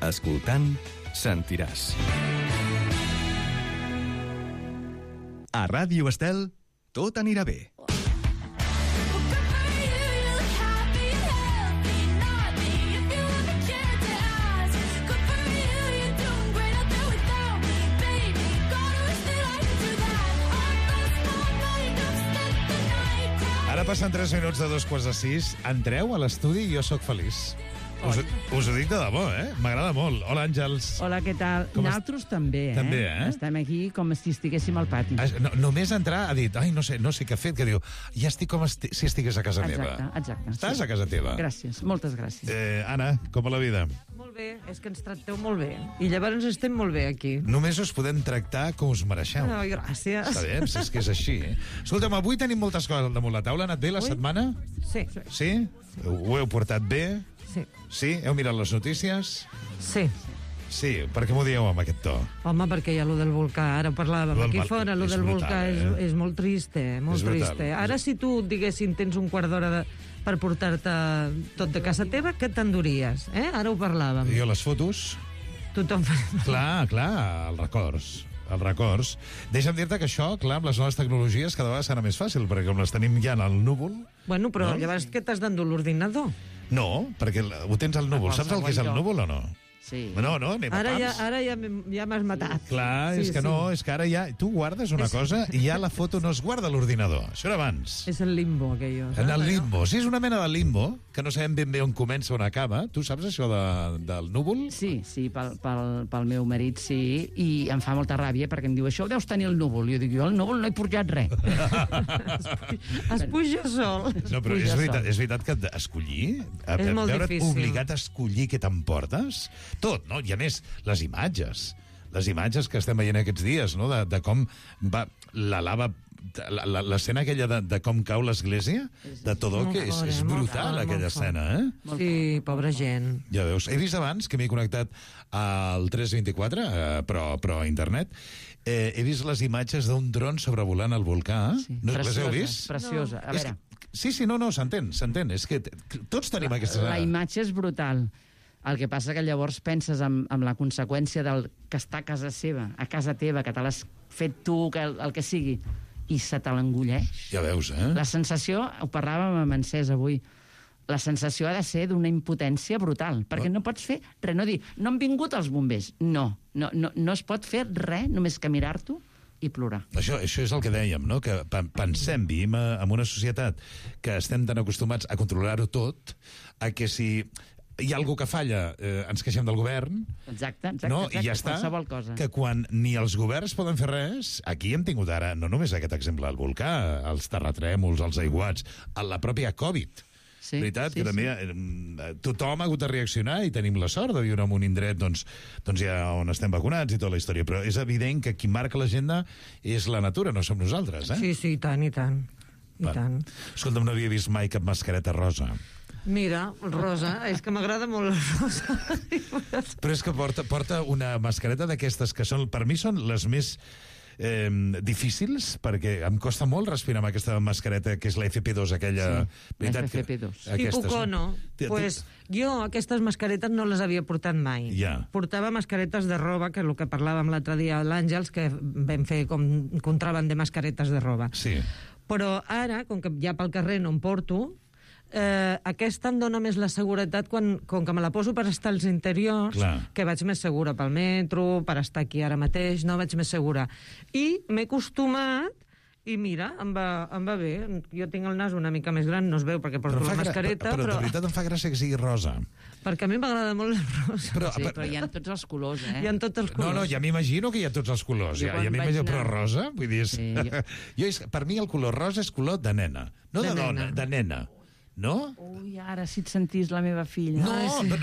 Escoltant, sentiràs. A Ràdio Estel, tot anirà bé. Ara passen 3 minuts de 5:15. Entreu a l'estudi i jo sóc feliç. Us ho dic de debò, M'agrada molt. Hola, Àngels. Hola, què tal? Nosaltres també, També, Estem aquí com si estiguéssim al pati. Només entrar ha dit, no sé què ha fet, que diu, ja estic com si estigués a casa meva. Exacte. Estàs a casa teva? Gràcies, moltes gràcies. Anna, com va la vida? Molt bé, és que ens tracteu molt bé. I llavors estem molt bé aquí. Només us podem tractar com us mereixeu. Gràcies. Està bé, és que és així. Escolta'm, avui tenim moltes coses al damunt la taula. Ha anat bé la setmana? Sí. Sí? Ho heu portat bé? Sí. Sí? Heu mirat les notícies? Sí. Sí, per què m'ho dieu amb aquest to? Home, perquè hi ha lo del volcà. Ara parlàvem aquí fora, lo del volcà és molt triste, molt triste. Ara, si tu, diguéssim, tens un quart d'hora per portar-te tot de casa teva, què t'enduries? Ara ho parlàvem. Jo les fotos? Tothom fa... Clar, els records. Deixa'm dir-te que això, clar, amb les noves tecnologies cada vegada serà més fàcil, perquè com les tenim ja en el núvol... Bueno, però llavors què t'has d'endur l'ordinador? No, perquè ho tens al núvol. Saps el que és el núvol o no? Sí. No, anem a pams. Ara ja m'has matat. Clar, és que no, és que ara ja... Tu guardes una cosa i ja la foto no es guarda a l'ordinador. Això era abans. És el limbo, aquello. En el limbo. Sí, és una mena de limbo, que no sabem ben bé on comença o on acaba. Tu saps això del núvol? Sí, pel meu marit sí, i em fa molta ràbia perquè em diu, això ho deus tenir el núvol. Jo dic, jo al núvol no he pujat res. Es puja sol. No, però és veritat que escollir... És molt difícil. Obligat a escollir què t'emportes? Tot, no? I a més, les imatges que estem veient aquests dies, no? De com va la lava... L'escena aquella de com cau l'església de Todó, que és brutal, aquella escena, eh? Sí, pobra gent. Ja veus. He vist abans que m'he connectat al 324, però a internet, he vist les imatges d'un dron sobrevolant el volcà. Les heu vist? Preciosa. A veure... Sí, s'entén. És que tots tenim aquesta... La imatge és brutal. El que passa que llavors penses en la conseqüència del que està a casa seva, a casa teva, que te l'has fet tu, el que sigui, i se te l'engulleix. Ja veus, eh? La sensació, ho parlàvem amb Encès avui, la sensació ha de ser d'una impotència brutal, perquè no pots fer res, no dir, no han vingut els bombers. No es pot fer res, només que mirar-t'ho i plorar. Això és el que dèiem, no? Que pensem, vivim en una societat que estem tan acostumats a controlar-ho tot, a que si hi ha algú que falla, ens queixem del govern. Exacte, i ja està, qualsevol cosa. Que quan ni els governs poden fer res, aquí hem tingut ara, no només aquest exemple, el volcà, els terratrèmols, els aiguats, la pròpia Covid. Sí, veritat, que també tothom ha hagut de reaccionar i tenim la sort de viure en un indret doncs ja on estem vacunats i tota la història, però és evident que qui marca l'agenda és la natura, no som nosaltres, eh? Sí, i tant. Escolta'm, no havia vist mai cap mascareta rosa. Mira, rosa, és que m'agrada molt la rosa. Però és que porta una mascareta d'aquestes que són, per mi són les més difícils, perquè em costa molt respirar amb aquesta mascareta, que és la FP2, aquella... Sí, la FP2. Tipus cono. Pues jo aquestes mascaretes no les havia portat mai. Portava mascaretes de roba, que és el que parlàvem l'altre dia a l'Àngels, que vam fer com contraban de mascaretes de roba. Sí. Però ara, com que ja pel carrer no em porto, aquesta em dona més la seguretat com que me la poso per estar als interiors, que vaig més segura pel metro, per estar aquí ara mateix, no vaig més segura. I m'he acostumat i mira, em va bé. Jo tinc el nas una mica més gran, no es veu perquè porto la mascareta, però de veritat em fa gràcia que sigui rosa. Perquè a mi m'agrada molt la rosa. Però hi ha tots els colors, eh? Hi ha tots els colors. No, ja m'imagino que hi ha tots els colors. Ja m'imagino, però rosa? Vull dir, per mi el color rosa és color de nena. No de dona, de nena. No? Ui, ara si et sentís la meva filla.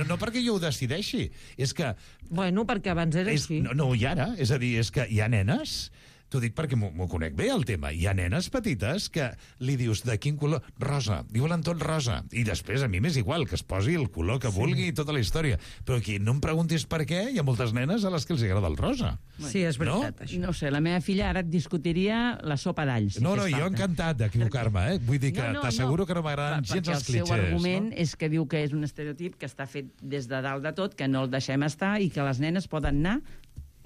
No perquè jo ho decideixi. És que... Bueno, perquè abans era així. No, i ara? És a dir, és que hi ha nenes... T'ho dic perquè m'ho conec bé, el tema. Hi ha nenes petites que li dius de quin color? Rosa. I volen tot rosa. I després a mi m'és igual, que es posi el color que vulgui i tota la història. Però aquí no em preguntis per què, hi ha moltes nenes a les que els agrada el rosa. Sí, és veritat, això. No sé, la meva filla ara et discutiria la sopa d'alls. No, jo encantat d'equivocar-me, eh? Vull dir que t'asseguro que no m'agraden gens els clitxers. Perquè el seu argument és que diu que és un estereotip que està fet des de dalt de tot, que no el deixem estar i que les nenes poden anar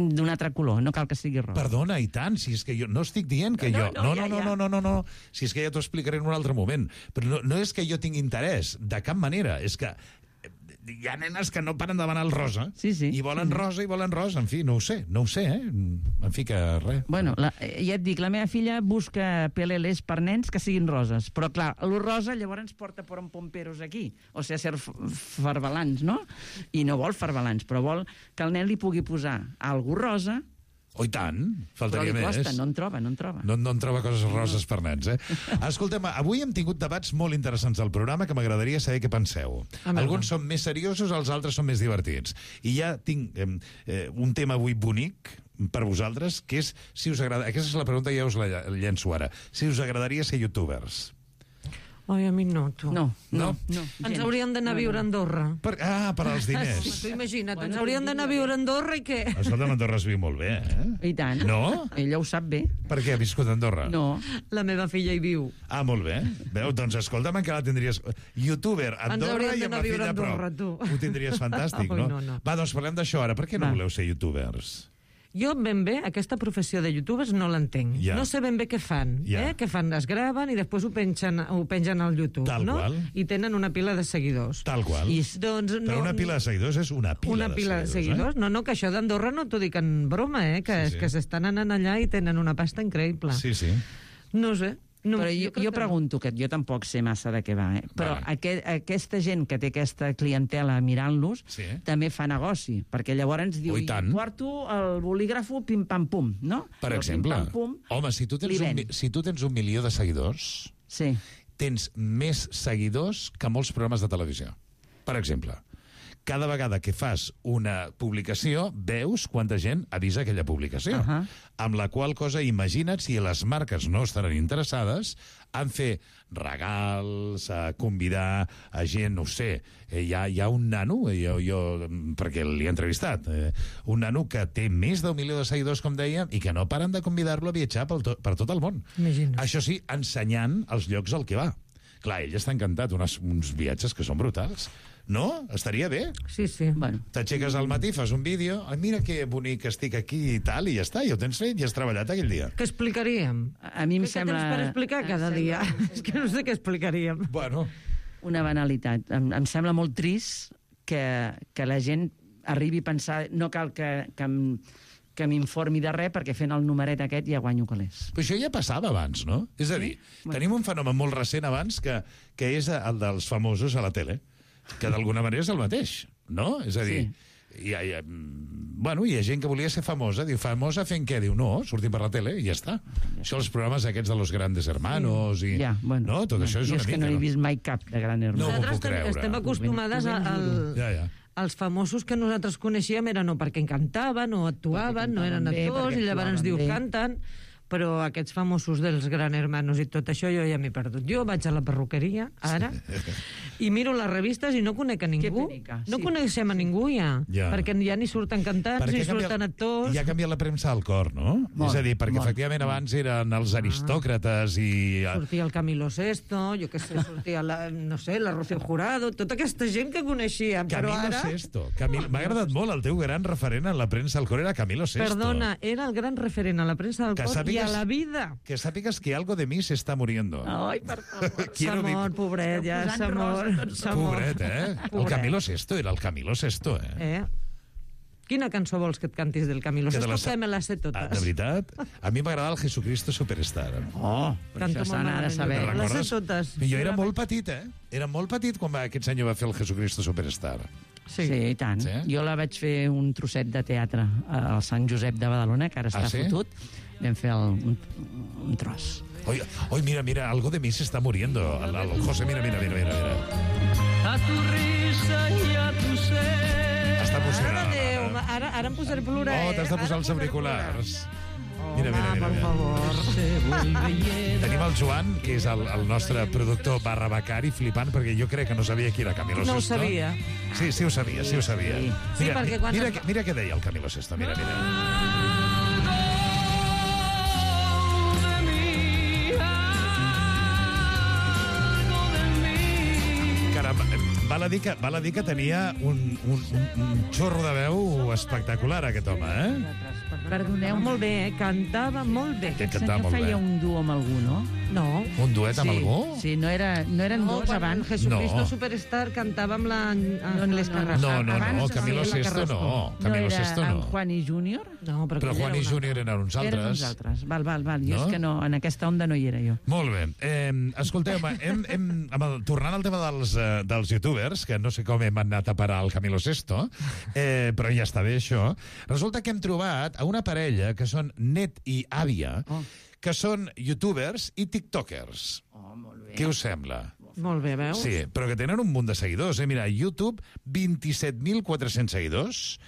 d'un altre color, no cal que sigui rosa. Perdona, i tant, si és que jo no estic dient que jo... No, si és que ja t'ho explicaré en un altre moment. Però no és que jo tingui interès, de cap manera, és que hi ha nenes que no paren de demanar el rosa i volen rosa, en fi, no ho sé, en fi que res. Bueno, ja et dic, la meva filla busca PLLs per nens que siguin roses, però clar, el rosa llavors ens porta por en pomperos aquí, o sigui, ser farbalans, no? I no vol farbalans, però vol que el nen li pugui posar algú rosa. Oh, i tant, faltaria més. Però li costa, més. no en troba. No en troba coses roses per nens, eh? Escolta'm, avui hem tingut debats molt interessants al programa que m'agradaria saber què penseu. Alguns són més seriosos, els altres són més divertits. I ja tinc un tema avui bonic per vosaltres, que és si us agrada... Aquesta és la pregunta, ja us la llenço ara. Si us agradaria ser youtubers. Ai, a mi no, tu. No. Ens hauríem d'anar a viure a Andorra. Per als diners. Tu imagina't, ens hauríem d'anar a viure a Andorra i què? Escolta, Andorra es viu molt bé, eh? I tant. No? Ella ho sap bé. Per què ha viscut a Andorra? No. La meva filla hi viu. Ah, molt bé. Veu, doncs escolta'm, encara tindries... Youtuber, Andorra i amb la filla a prop. Ho tindries fantàstic, no? Va, doncs parlem d'això ara. Per què no voleu ser youtubers? Jo ben bé, aquesta professió de youtubers no l'entenc. Ja. No sé ben bé què fan. Què fan? Es graven i després ho pengen al YouTube. Tal qual. I tenen una pila de seguidors. Tal qual. Però una pila de seguidors és una pila de seguidors. No, que això d'Andorra no t'ho dic en broma, que s'estan anant allà i tenen una pasta increïble. Sí, sí. No sé. No, però jo pregunto, que jo tampoc sé massa de què va, però aquesta gent que té aquesta clientela mirant-los també fa negoci, perquè llavors diu, porto el bolígrafo pim-pam-pum, no? Per exemple, home, si tu tens 1 milió de seguidors, tens més seguidors que molts programes de televisió. Per exemple, cada vegada que fas una publicació, veus quanta gent ha vist aquella publicació. Amb la qual cosa, imagina't si les marques no estaran interessades en fer regals, a convidar a gent, no ho sé, hi ha un nano, perquè l'he entrevistat, un nano que té més d'1 milió de seguidors, com dèiem, i que no paren de convidar-lo a viatjar per tot el món. Això sí, ensenyant els llocs al que va. Clar, ell està encantat, uns viatges que són brutals. No? Estaria bé? Sí. Bueno. T'aixeques al matí, fas un vídeo, mira que bonic estic aquí i tal, i ja està, ja ho tens fet, ja has treballat aquell dia. Què explicaríem? A mi em sembla... Què tens per explicar cada dia? És que no sé què explicaríem. Bueno. Una banalitat. Em sembla molt trist que la gent arribi a pensar no cal que m'informi de res, perquè fent el numeret aquest ja guanyo calés. Però això ja passava abans, no? És a dir, tenim un fenomen molt recent abans que és el dels famosos a la tele, que d'alguna manera és el mateix, no? És a dir, hi ha gent que volia ser famosa, diu, famosa fent què? Diu, no, sortim per la tele i ja està. Això, els programes aquests de los grandes hermanos i... No, tot això és una mica... Jo és que no he vist mai cap de gran hermano. No m'ho puc creure. Estem acostumades als famosos que nosaltres coneixíem eren o perquè cantaven o actuaven, no eren actors, i llavors ens diu canten, però aquests famosos dels Gran Hermanos i tot això jo ja m'he perdut. Jo vaig a la perruqueria, ara, i miro les revistes i no conec a ningú. No coneixem a ningú ja, perquè ja ni surten cantants, ni surten actors... I ha canviat la premsa al cor, no? És a dir, perquè efectivament abans eren els aristòcrates i... Sortia el Camilo Sesto, jo què sé, sortia la Rocío Jurado, tota aquesta gent que coneixíem, però ara... Camilo Sesto. M'ha agradat molt el teu gran referent en la premsa al cor, era Camilo Sesto. Perdona, era el gran referent a la premsa al cor i a la vida. Que sàpigues que algo de mi se está muriendo. Ai, per favor. S'ha mort, pobret, ja s'ha mort. Pobret, El Camilo Sesto, era el Camilo Sesto, Quina cançó vols que et cantis del Camilo Sesto? Que me les sé totes. De veritat? A mi m'agrada el Jesucristo Superstar. Això s'ha de saber. Les sé totes. Jo era molt petit, Era molt petit quan aquest senyor va fer el Jesucristo Superstar. Sí, i tant. Jo la vaig fer un trosset de teatre al Sant Josep de Badalona, que ara està fotut. Vam fer un tros. Oi, mira, algo de mi se está muriendo. El José, mira. A tu risa y a tu ser. Està emocionada. Ara em posaré a plorar. T'has de posar els auriculars. Mira. Per favor. Tenim el Joan, que és el nostre productor / becari, flipant, perquè jo crec que no sabia qui era Camilo Sesto. No ho sabia. Sí, ho sabia. Mira què deia el Camilo Sesto, mira. Val a dir que tenia un xorro de veu espectacular, aquest home, Perdoneu. Molt bé, cantava molt bé. Aquest senyor feia un duo amb algú, no? No. Un duet amb algú? Sí, no eren dos abans. Jesucristo Superstar cantava amb l'Anglès Carrasco. No, Camilo Sesto no. Camilo Sesto no. Juan i Júnior? No, però Juan i Júnior eren uns altres. Eren uns altres. Val. Jo és que no, en aquesta onda no hi era jo. Molt bé. Escolteu, tornant al tema dels youtubers, que no sé com hem anat a parar el Camilo Sesto, però ja està bé això, resulta que hem trobat a una parella que són net i àvia, que són youtubers i tiktokers. Molt bé. Què us sembla? Molt bé, veus? Sí, però que tenen un munt de seguidors. Mira, YouTube, 27.400 seguidors,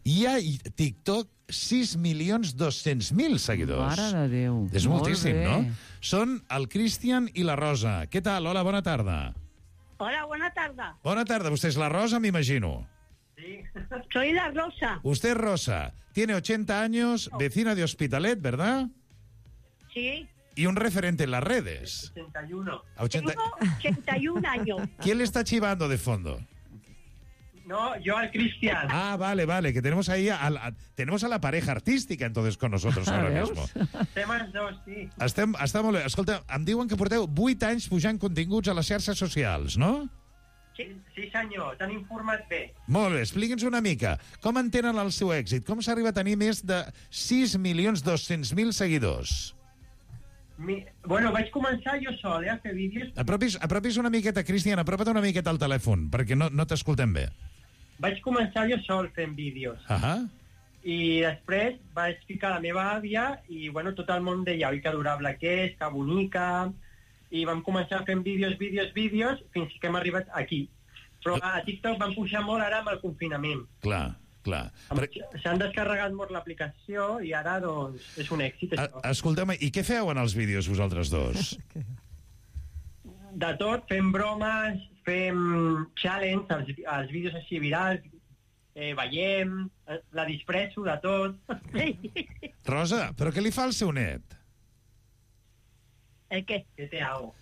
i a TikTok, 6.200.000 seguidors. Mare de Déu. És moltíssim, no? Són el Cristian i la Rosa. Què tal? Hola, bona tarda. Hola, buena tarde. Bona tarda. Vostè és la Rosa, m'imagino. Sí. Soy la Rosa. Usted es Rosa. Tiene 80 años, vecina de Hospitalet, ¿verdad? Sí. Y un referente en las redes. 81. Tengo 81 años. ¿Quién le está chivando de fondo? No, yo al Cristian. Ah, vale, que tenemos ahí tenemos a la pareja artística entonces con nosotros ahora mismo. Estem els dos, sí. Està molt bé. Escolta, em diuen que porteu 8 anys pujant continguts a les xarxes socials, no? Sí, senyor, t'han informat bé. Molt bé, expliqui'ns una mica. Com entenen el seu èxit? Com s'arriba a tenir més de 6.200.000 seguidors? Bueno, vaig començar jo sol, a fer vídeos. Apropis una miqueta, Cristian, apropa't una miqueta al telèfon, perquè no t'escoltem bé. Vaig començar jo sol fent vídeos. I després vaig ficar la meva àvia i, bueno, tot el món deia, oi, que adorable que és, que bonica... I vam començar fent vídeos, fins que hem arribat aquí. Però a TikTok vam pujar molt ara amb el confinament. Clar. S'han descarregat molt l'aplicació i ara, doncs, és un èxit. Escolta'm, i què feu en els vídeos vosaltres dos? De tot, fem bromes, fem challenge, els vídeos així virals, ballem, la disfresso de tot. Rosa, però què li fa al seu net? ¿El qué? ¿Qué te hago?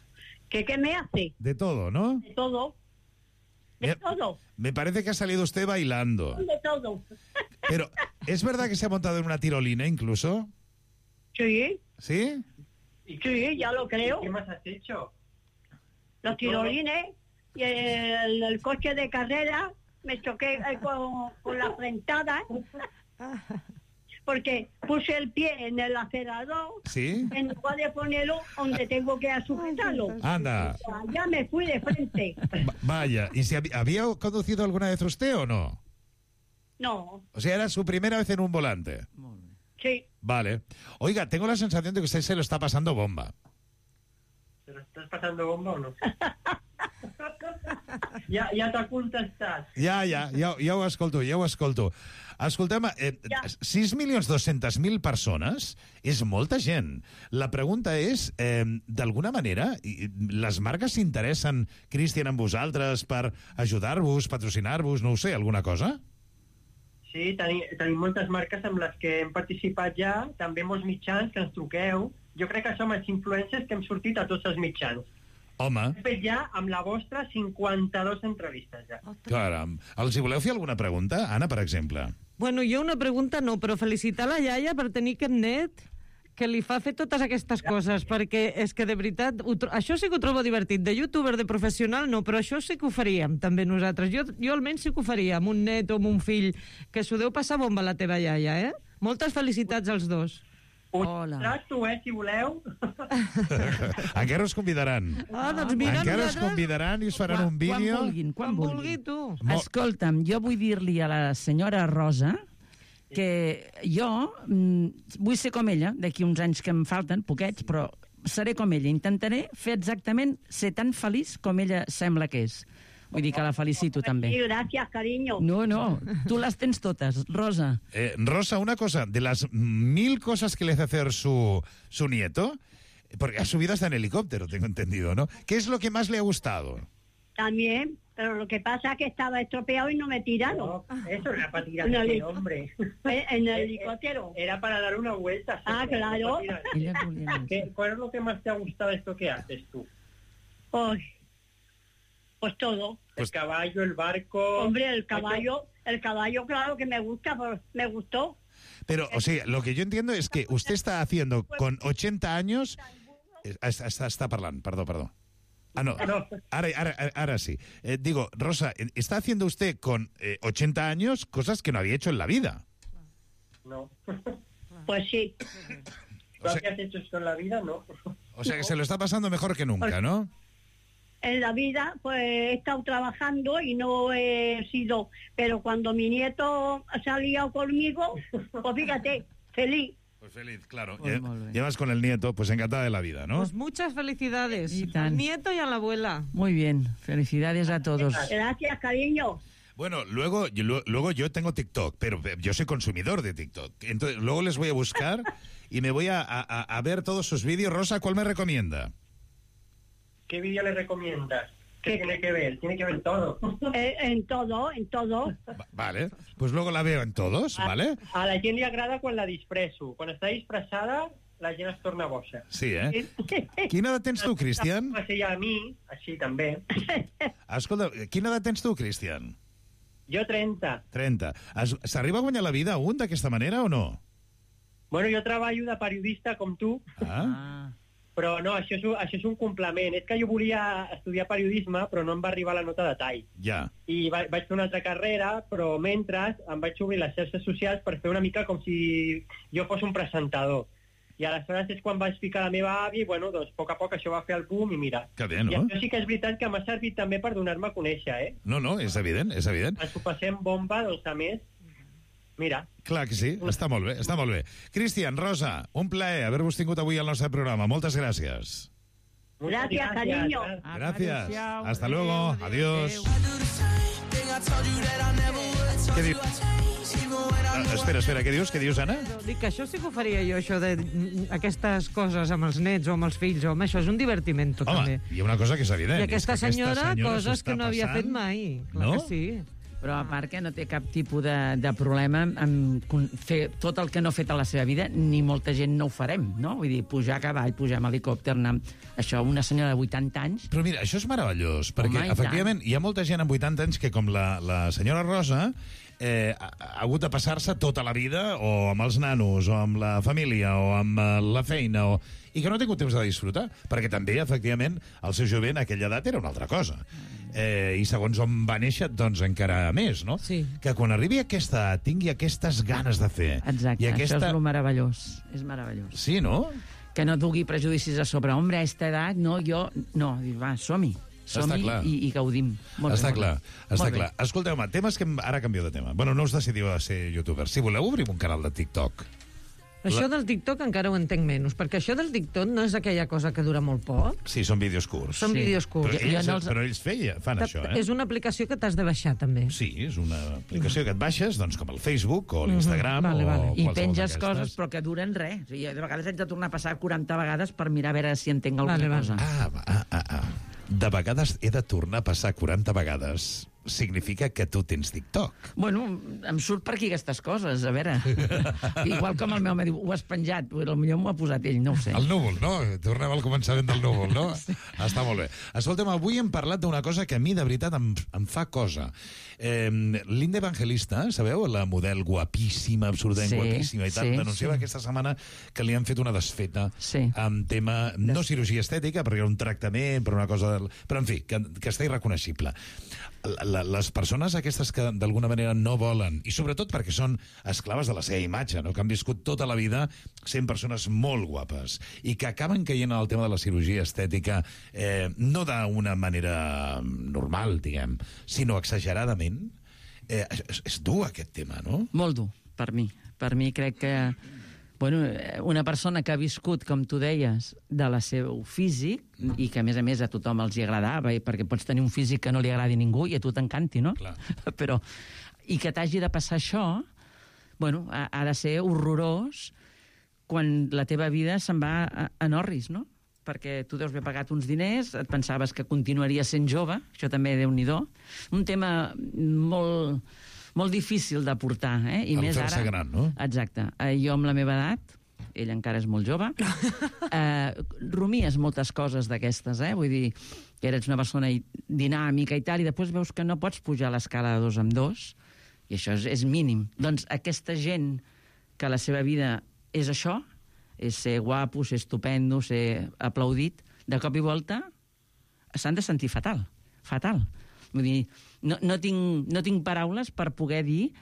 ¿Qué me hace? De todo, ¿no? De todo. De todo. Me parece que ha salido usted bailando. De todo. Pero, ¿es verdad que se ha montado en una tirolina incluso? Sí. ¿Sí? Sí, ya lo creo. ¿Qué más has hecho? Los tirolines y el coche de carrera me choqué con la frentada. Porque puse el pie en el acelerador, ¿sí? En lugar de ponerlo donde tengo que sujetarlo. Anda. Ya me fui de frente. Vaya, ¿y si había conducido alguna vez usted o no? No. O sea, era su primera vez en un volante. Sí. Vale. Oiga, tengo la sensación de que usted se lo está pasando bomba. ¿Te lo estás pasando bomba o no? Ja t'ha contestat. Ja ho escolto. Escolta'm, 6.200.000 persones és molta gent. La pregunta és, d'alguna manera, les marques s'interessen, Cristian, en vosaltres per ajudar-vos, patrocinar-vos, no ho sé, alguna cosa? Sí, tenim moltes marques amb les que hem participat ja, també molts mitjans que ens truqueu. Jo crec que som els influencers que hem sortit a tots els mitjans. Home. Hem fet ja, amb la vostra, 52 entrevistes ja. Caram. Els hi voleu fer alguna pregunta? Anna, per exemple. Bueno, jo una pregunta no, però felicitar la iaia per tenir aquest net que li fa fer totes aquestes coses, perquè és que de veritat, això sí que ho trobo divertit. De youtuber, de professional, no, però això sí que ho faríem també nosaltres. Jo almenys sí que ho faria, amb un net o amb un fill, que s'ho deu passar bomba la teva iaia, eh? Moltes felicitats als dos. Hola. Tracto, si voleu. Encara us convidaran. Doncs mira, encara us convidaran i us faran un vídeo. Quan vulguin. Tu. Escolta'm, jo vull dir-li a la senyora Rosa que jo vull ser com ella, d'aquí uns anys que em falten, poquets, però seré com ella. Intentaré fer exactament, ser tan feliç com ella sembla que és. Vull dir que la felicito també. Sí, gràcies, cariño. No, tu les tens totes, Rosa. Rosa, una cosa, de las 1000 cosas que le hace hacer su nieto, porque ha subido hasta en helicóptero, tengo entendido, ¿no? ¿Qué es lo que más le ha gustado? También, pero lo que pasa es que estaba estropeado y no me tiraron. No, eso era para tirar ese hombre. En el helicóptero. Era para dar una vuelta. Claro. ¿Cuál es lo que más te ha gustado de esto que haces tú? Pues todo. El caballo, el barco... Hombre, el caballo, claro que me gusta, pues me gustó. Pero, o sea, lo que yo entiendo es que usted está haciendo con 80 años... Está parlant, perdó. Ah, no, ahora sí. Digo, Rosa, está haciendo usted con 80 años cosas que no había hecho en la vida. No. Pues sí. ¿Tú habías hecho esto en la vida? No. O sea, que se lo está pasando mejor que nunca, ¿no? En la vida, pues he estado trabajando y no he sido... Pero cuando mi nieto se ha liado conmigo, pues fíjate, feliz. Pues feliz, claro. Llevas con el nieto, pues encantada de la vida, ¿no? Pues muchas felicidades al nieto y a la abuela. Muy bien, felicidades a todos. Gracias, cariño. Bueno, luego yo tengo TikTok, pero yo soy consumidor de TikTok. Entonces, luego les voy a buscar y me voy a ver todos sus vídeos. Rosa, ¿cuál me recomienda? ¿Qué vídeo le recomiendas? ¿Qué tiene que ver? Tiene que ver todo. En todo. Vale, pues luego la veo en todos, ¿vale? A la gent li agrada quan la disfresso. Quan està disfressada, la gent es torna boja. Sí, eh? Quina edat tens tu, Cristian? A mi, així també. Escolta, quina edat tens tu, Cristian? Jo 30. 30. S'arriba a guanyar la vida un d'aquesta manera o no? Bueno, jo treballo de periodista com tu, però no, això és un complement. És que jo volia estudiar periodisme, però no em va arribar la nota de tall. Ja. I vaig fer una altra carrera, però mentre em vaig obrir les xarxes socials per fer una mica com si jo fos un presentador. I aleshores és quan vaig ficar la meva àvia i, bueno, doncs, a poc això va fer el boom i mira. Que bé, no? I això sí que és veritat que m'ha servit també per donar-me a conèixer, eh? No, és evident, és evident. Ens ho passem bomba, doncs, a més, mira. Clar que sí, està molt bé, està molt bé. Cristian, Rosa, un plaer haver-vos tingut avui al nostre programa. Moltes gràcies. Gracias, cariño. Gracias. Hasta luego. Adiós. Què dius? Espera, què dius, Anna? Dic que això sí que ho faria jo, això d'aquestes coses amb els nets o amb els fills, home, això és un divertiment, també. Home, hi ha una cosa que és evident. I aquesta senyora coses que no havia fet mai. Clar que sí. Però a part que no té cap tipus de problema en fer tot el que no ha fet a la seva vida, ni molta gent no ho farem, no? Vull dir, pujar a cavall, pujar amb helicòpter, anar... Això, una senyora de 80 anys... Però mira, això és meravellós, perquè efectivament hi ha molta gent amb 80 anys que, com la senyora Rosa, ha hagut de passar-se tota la vida o amb els nanos, o amb la família, o amb la feina, i que no ha tingut temps de disfrutar, perquè també, efectivament, el seu jovent a aquella edat era una altra cosa. I segons on va néixer, doncs encara més, no? Sí. Que quan arribi a aquesta edat tingui aquestes ganes de fer. Exacte, això és lo meravellós. És meravellós. Sí, no? Que no dugui prejudicis a sobre. Hombre, a esta edat, no, jo... No, va, som-hi. I gaudim. Està clar. Escolteu-me, temes que ara canvio de tema. Bueno, no us decidiu a ser youtubers. Si voleu, obrim un canal de TikTok. Això del TikTok encara ho entenc menys, perquè això del TikTok no és aquella cosa que dura molt poc. Sí, són vídeos curts. Són vídeos curts. Però ells fan això, eh? És una aplicació que t'has de baixar, també. Sí, és una aplicació que et baixes, doncs, com el Facebook o l'Instagram o I penges coses, però que duren res. O sigui, de vegades haig de tornar a passar 40 vegades per mirar a veure si entenc alguna cosa. De vegades he de tornar a passar 40 vegades. Significa que tu tens TikTok. Bueno, em surt per aquí aquestes coses, a veure. Igual com el meu home diu, ho has penjat, potser m'ho ha posat ell, no ho sé. El núvol, no? Tornem al començament del núvol, no? Sí. Està molt bé. Escolta'm, avui hem parlat d'una cosa que a mi, de veritat, em fa cosa. Linda Evangelista, sabeu? La model guapíssima, absolutament guapíssima i tal, denunciava aquesta setmana que li han fet una desfeta amb tema, no cirurgia estètica, perquè era un tractament, per una cosa... Però, en fi, que està irreconeixible. Les persones aquestes que d'alguna manera no volen, i sobretot perquè són esclaves de la seva imatge, no? Que han viscut tota la vida sent persones molt guapes i que acaben caient en el tema de la cirurgia estètica no d'una manera normal, diguem, sinó exageradament. És dur aquest tema, no? Molt dur, per mi. Per mi crec que una persona que ha viscut, com tu deies, de la seu físic, i que a més a tothom els hi agradava, perquè pots tenir un físic que no li agradi a ningú i a tu t'encanti, no? Clar. Però, i que t'hagi de passar això, ha de ser horrorós quan la teva vida se'n va en orris, no? Perquè tu deus haver pagat uns diners, et pensaves que continuaries sent jove, això també Déu-n'hi-do. Un tema molt difícil de portar, I més ara... fer-se gran, no? Exacte. Jo amb la meva edat, ell encara és molt jove, rumies moltes coses d'aquestes, Vull dir, que eres una persona dinàmica i tal, i després veus que no pots pujar l'escala de 2 en 2, i això és mínim. Doncs aquesta gent que la seva vida és això, és ser guapo, ser estupendo, ser aplaudit, de cop i volta s'han de sentir fatal. Vull dir, no tinc paraules per poder dir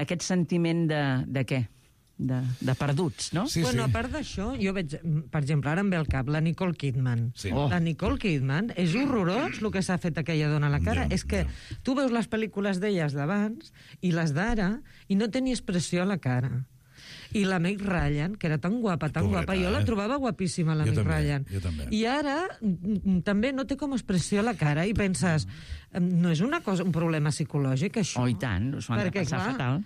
aquest sentiment de què? De perduts, no? Sí, bueno, a part d'això, jo veig, per exemple, ara em ve al cap la Nicole Kidman. Sí. La Nicole Kidman és horrorós el que s'ha fet aquella dona a la cara. És que tu veus les pel·lícules d'elles d'abans i les d'ara i no té ni expressió a la cara. I la Meg Ryan, que era tan guapa, jo la trobava guapíssima, la Meg Ryan. Jo també. I ara també no té com expressió a la cara i penses, no és un problema psicològic, això? Oh, i tant, s'ho han de passar fatal.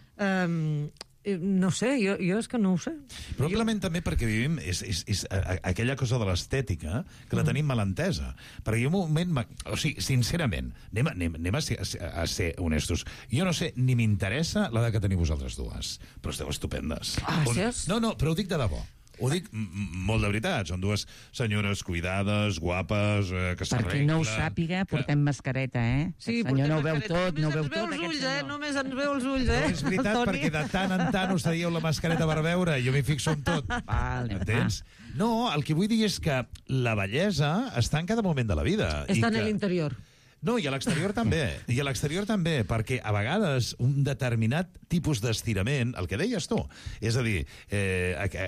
No sé, jo és que no ho sé. Probablement també perquè vivim és aquella cosa de l'estètica que la tenim mal entesa. Perquè hi ha un moment... O sigui, sincerament, anem a ser honestos. Jo no sé, ni m'interessa l'edat que teniu vosaltres dues, però esteu estupendes. Ah, sí? No, però ho dic de debò. Ho dic molt de veritat. Són dues senyores cuidades, guapes, que s'arreglen. Per qui no ho sàpiga, portem mascareta, eh? Sí, el senyor no ho veu mascareta. tot, no ho veu tot. Només ens veu els ulls, No, és veritat, perquè de tant en tant us traieu la mascareta per veure, i jo m'hi fixo en tot. Entens? No, el que vull dir és que la bellesa està en cada moment de la vida. Està en l'interior. No, i a l'exterior també. I a l'exterior també, perquè a vegades un determinat tipus d'estirament, el que deies tu, és a dir,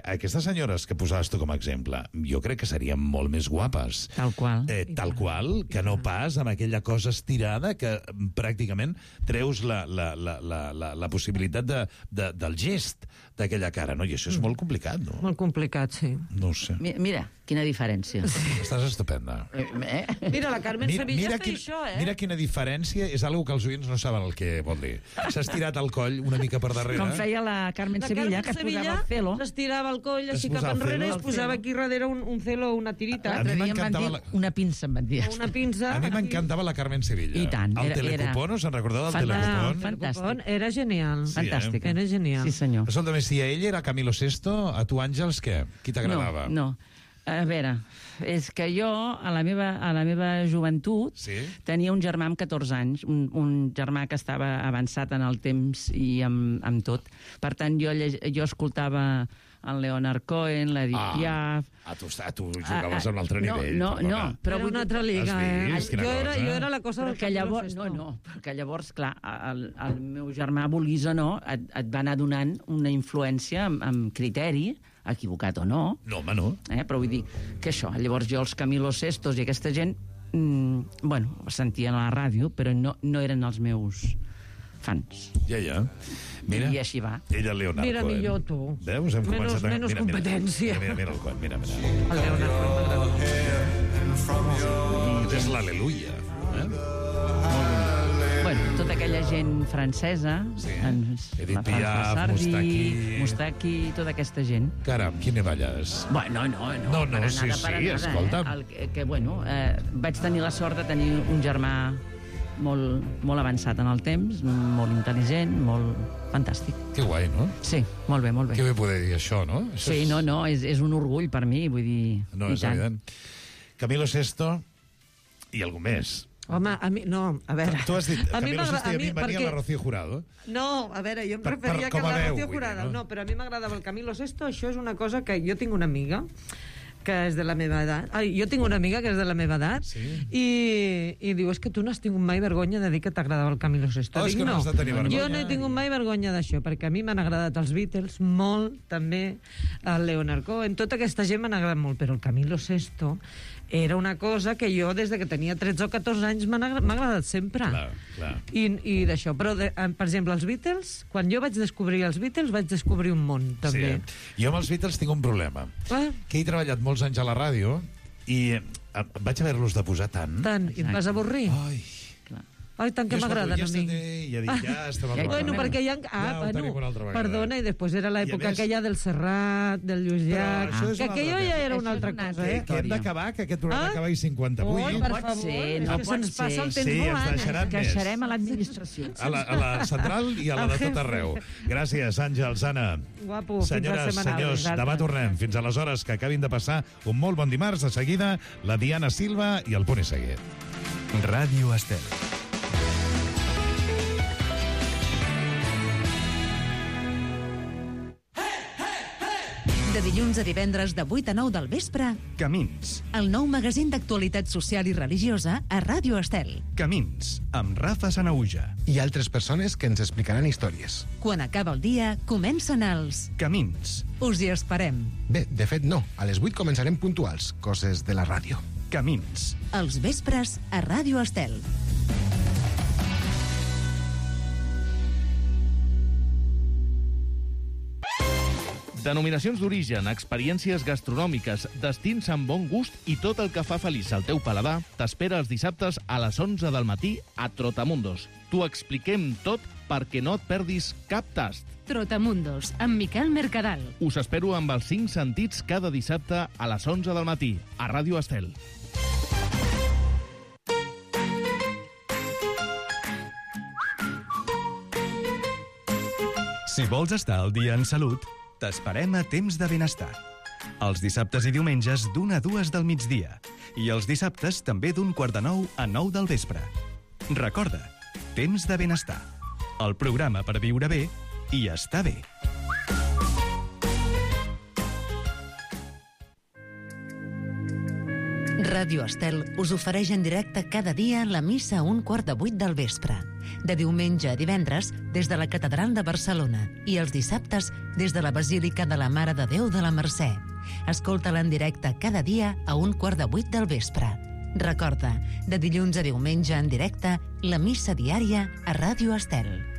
aquestes senyores que posaves tu com a exemple, jo crec que serien molt més guapes. Tal qual. Tal qual, que no pas amb aquella cosa estirada que pràcticament treus la possibilitat del gest d'aquella cara, no? I això és molt complicat, no? Molt complicat, sí. No ho sé. Mira, quina diferència. Estàs estupenda. Mira, la Carmen Sevilla està això, Mira quina diferència, és algo que els oients no saben el que vol dir. S'ha estirat el coll una mica per darrere. Com feia la Carmen Sevilla, que es posava el celo. S'estirava el coll així cap enrere i es posava aquí darrere un celo, una tirita. L'altre dia em van dir una pinça, em van dir. Una pinça. A mi m'encantava la Carmen Sevilla. I tant. El Telecupón, us en recordeu del Telecupón? Fantàstic. Era genial. Fantàstic. Era genial. Sí, senyor. Escolta'm, si a ell era Camilo Sesto, a tu, Àngels, què? Qui t'agradava? No. A veure, és que jo, a la meva joventut, tenia un germà amb 14 anys, un germà que estava avançat en el temps i amb tot. Per tant, jo escoltava el Leonard Cohen, l'Edith Piaf... Tu jugaves a un altre nivell. No, però era una altra liga, Jo era la cosa del Camilo Sesto. No, perquè llavors, clar, el meu germà, vulguis o no, et va anar donant una influència amb criteri, equivocat o no. No, home, no. Però vull dir que això, llavors jo els Camilo Sestos i aquesta gent, sentien a la ràdio, però no eren els meus fans. Ja. Mira, i així va. Ella, el Leonard Mira, Cohen. millor tu. Veus? Hem començat a... Menys competència. Mira el Cohen, mira. El Leonard Cohen. És l'Aleluia. Bueno, tota aquella gent francesa, Edith Piaf, Moustaki, tota aquesta gent. Caram, quina balles. Bueno, no, escolta'm. Vaig tenir la sort de tenir un germà molt avançat en el temps, molt intel·ligent, molt fantàstic. Que guai, no? Sí, molt bé. Que bé poder dir això, no? Sí, és un orgull per mi, vull dir... No, és evident. Camilo Sesto i algú més. Home, a mi... No, a veure... Tu has dit Camilo Sesto i a mi em venia la Rocío Jurado. No, a veure, jo em referia que la Rocío Jurado. No, però a mi m'agradava el Camilo Sesto. Això és una cosa que jo tinc una amiga que és de la meva edat. Jo tinc una amiga que és de la meva edat i diu, és que tu no has tingut mai vergonya de dir que t'agradava el Camilo Sesto. És que no has de tenir vergonya. Jo no he tingut mai vergonya d'això, perquè a mi m'han agradat els Beatles molt, també el Leonard Cohen, tota aquesta gent m'han agradat molt, però el Camilo Sesto era una cosa que jo, des de que tenia 13 o 14 anys, m'ha agradat sempre. Clar. I d'això. Però, per exemple, els Beatles, quan jo vaig descobrir els Beatles, vaig descobrir un món, també. Sí. Jo amb els Beatles tinc un problema. Que he treballat molts anys a la ràdio i vaig haver-los de posar tant. I et vas avorrir? Ai, tant que m'agraden a mi. Ja dic, ja estem al Bueno, perquè hi ha... Perdona, i després era l'època aquella del Serrat, del Lluís Llach, que aquello ja era una altra cosa, Que hem d'acabar, que aquest programa acaba a 58. Oi, per favor, és que se'ns passa el temps volant. Ens deixaran més. Queixarem a l'administració. A la central i a la de tot arreu. Gràcies, Àngels, Anna. Guapo, senyores, senyors, demà tornem. Fins aleshores, que acabin de passar un molt bon dimarts. De seguida, la Diana Silva i el Poni Seguet. Ràdio Estel. De dilluns a divendres de 8 a 9 del vespre, Camins. El nou magazín d'actualitat social i religiosa a Ràdio Estel. Camins, amb Rafa Sanauja. I altres persones que ens explicaran històries. Quan acaba el dia, comencen els... Camins. Us hi esperem. Bé, de fet no. A les 8 començarem puntuals, coses de la ràdio. Camins. Els vespres a Ràdio Estel. Denominacions d'origen, experiències gastronòmiques, destins amb bon gust i tot el que fa feliç al teu paladar t'espera els dissabtes a les 11 del matí a Trotamundos. T'ho expliquem tot perquè no et perdis cap tast. Trotamundos, amb Miquel Mercadal. Us espero amb els 5 sentits cada dissabte a les 11 del matí a Ràdio Estel. Si vols estar al dia en salut, t'esperem a Temps de Benestar. Els dissabtes i diumenges d'1 a 2 del migdia. I els dissabtes també d'8:45 a 9 del vespre. Recorda, Temps de Benestar. El programa per viure bé i estar bé. Ràdio Estel us ofereix en directe cada dia la missa a 7:15 del vespre. De diumenge a divendres, des de la Catedral de Barcelona, i els dissabtes, des de la Basílica de la Mare de Déu de la Mercè. Escolta-la en directe cada dia a 7:15 del vespre. Recorda, de dilluns a diumenge en directe, la missa diària a Ràdio Estel.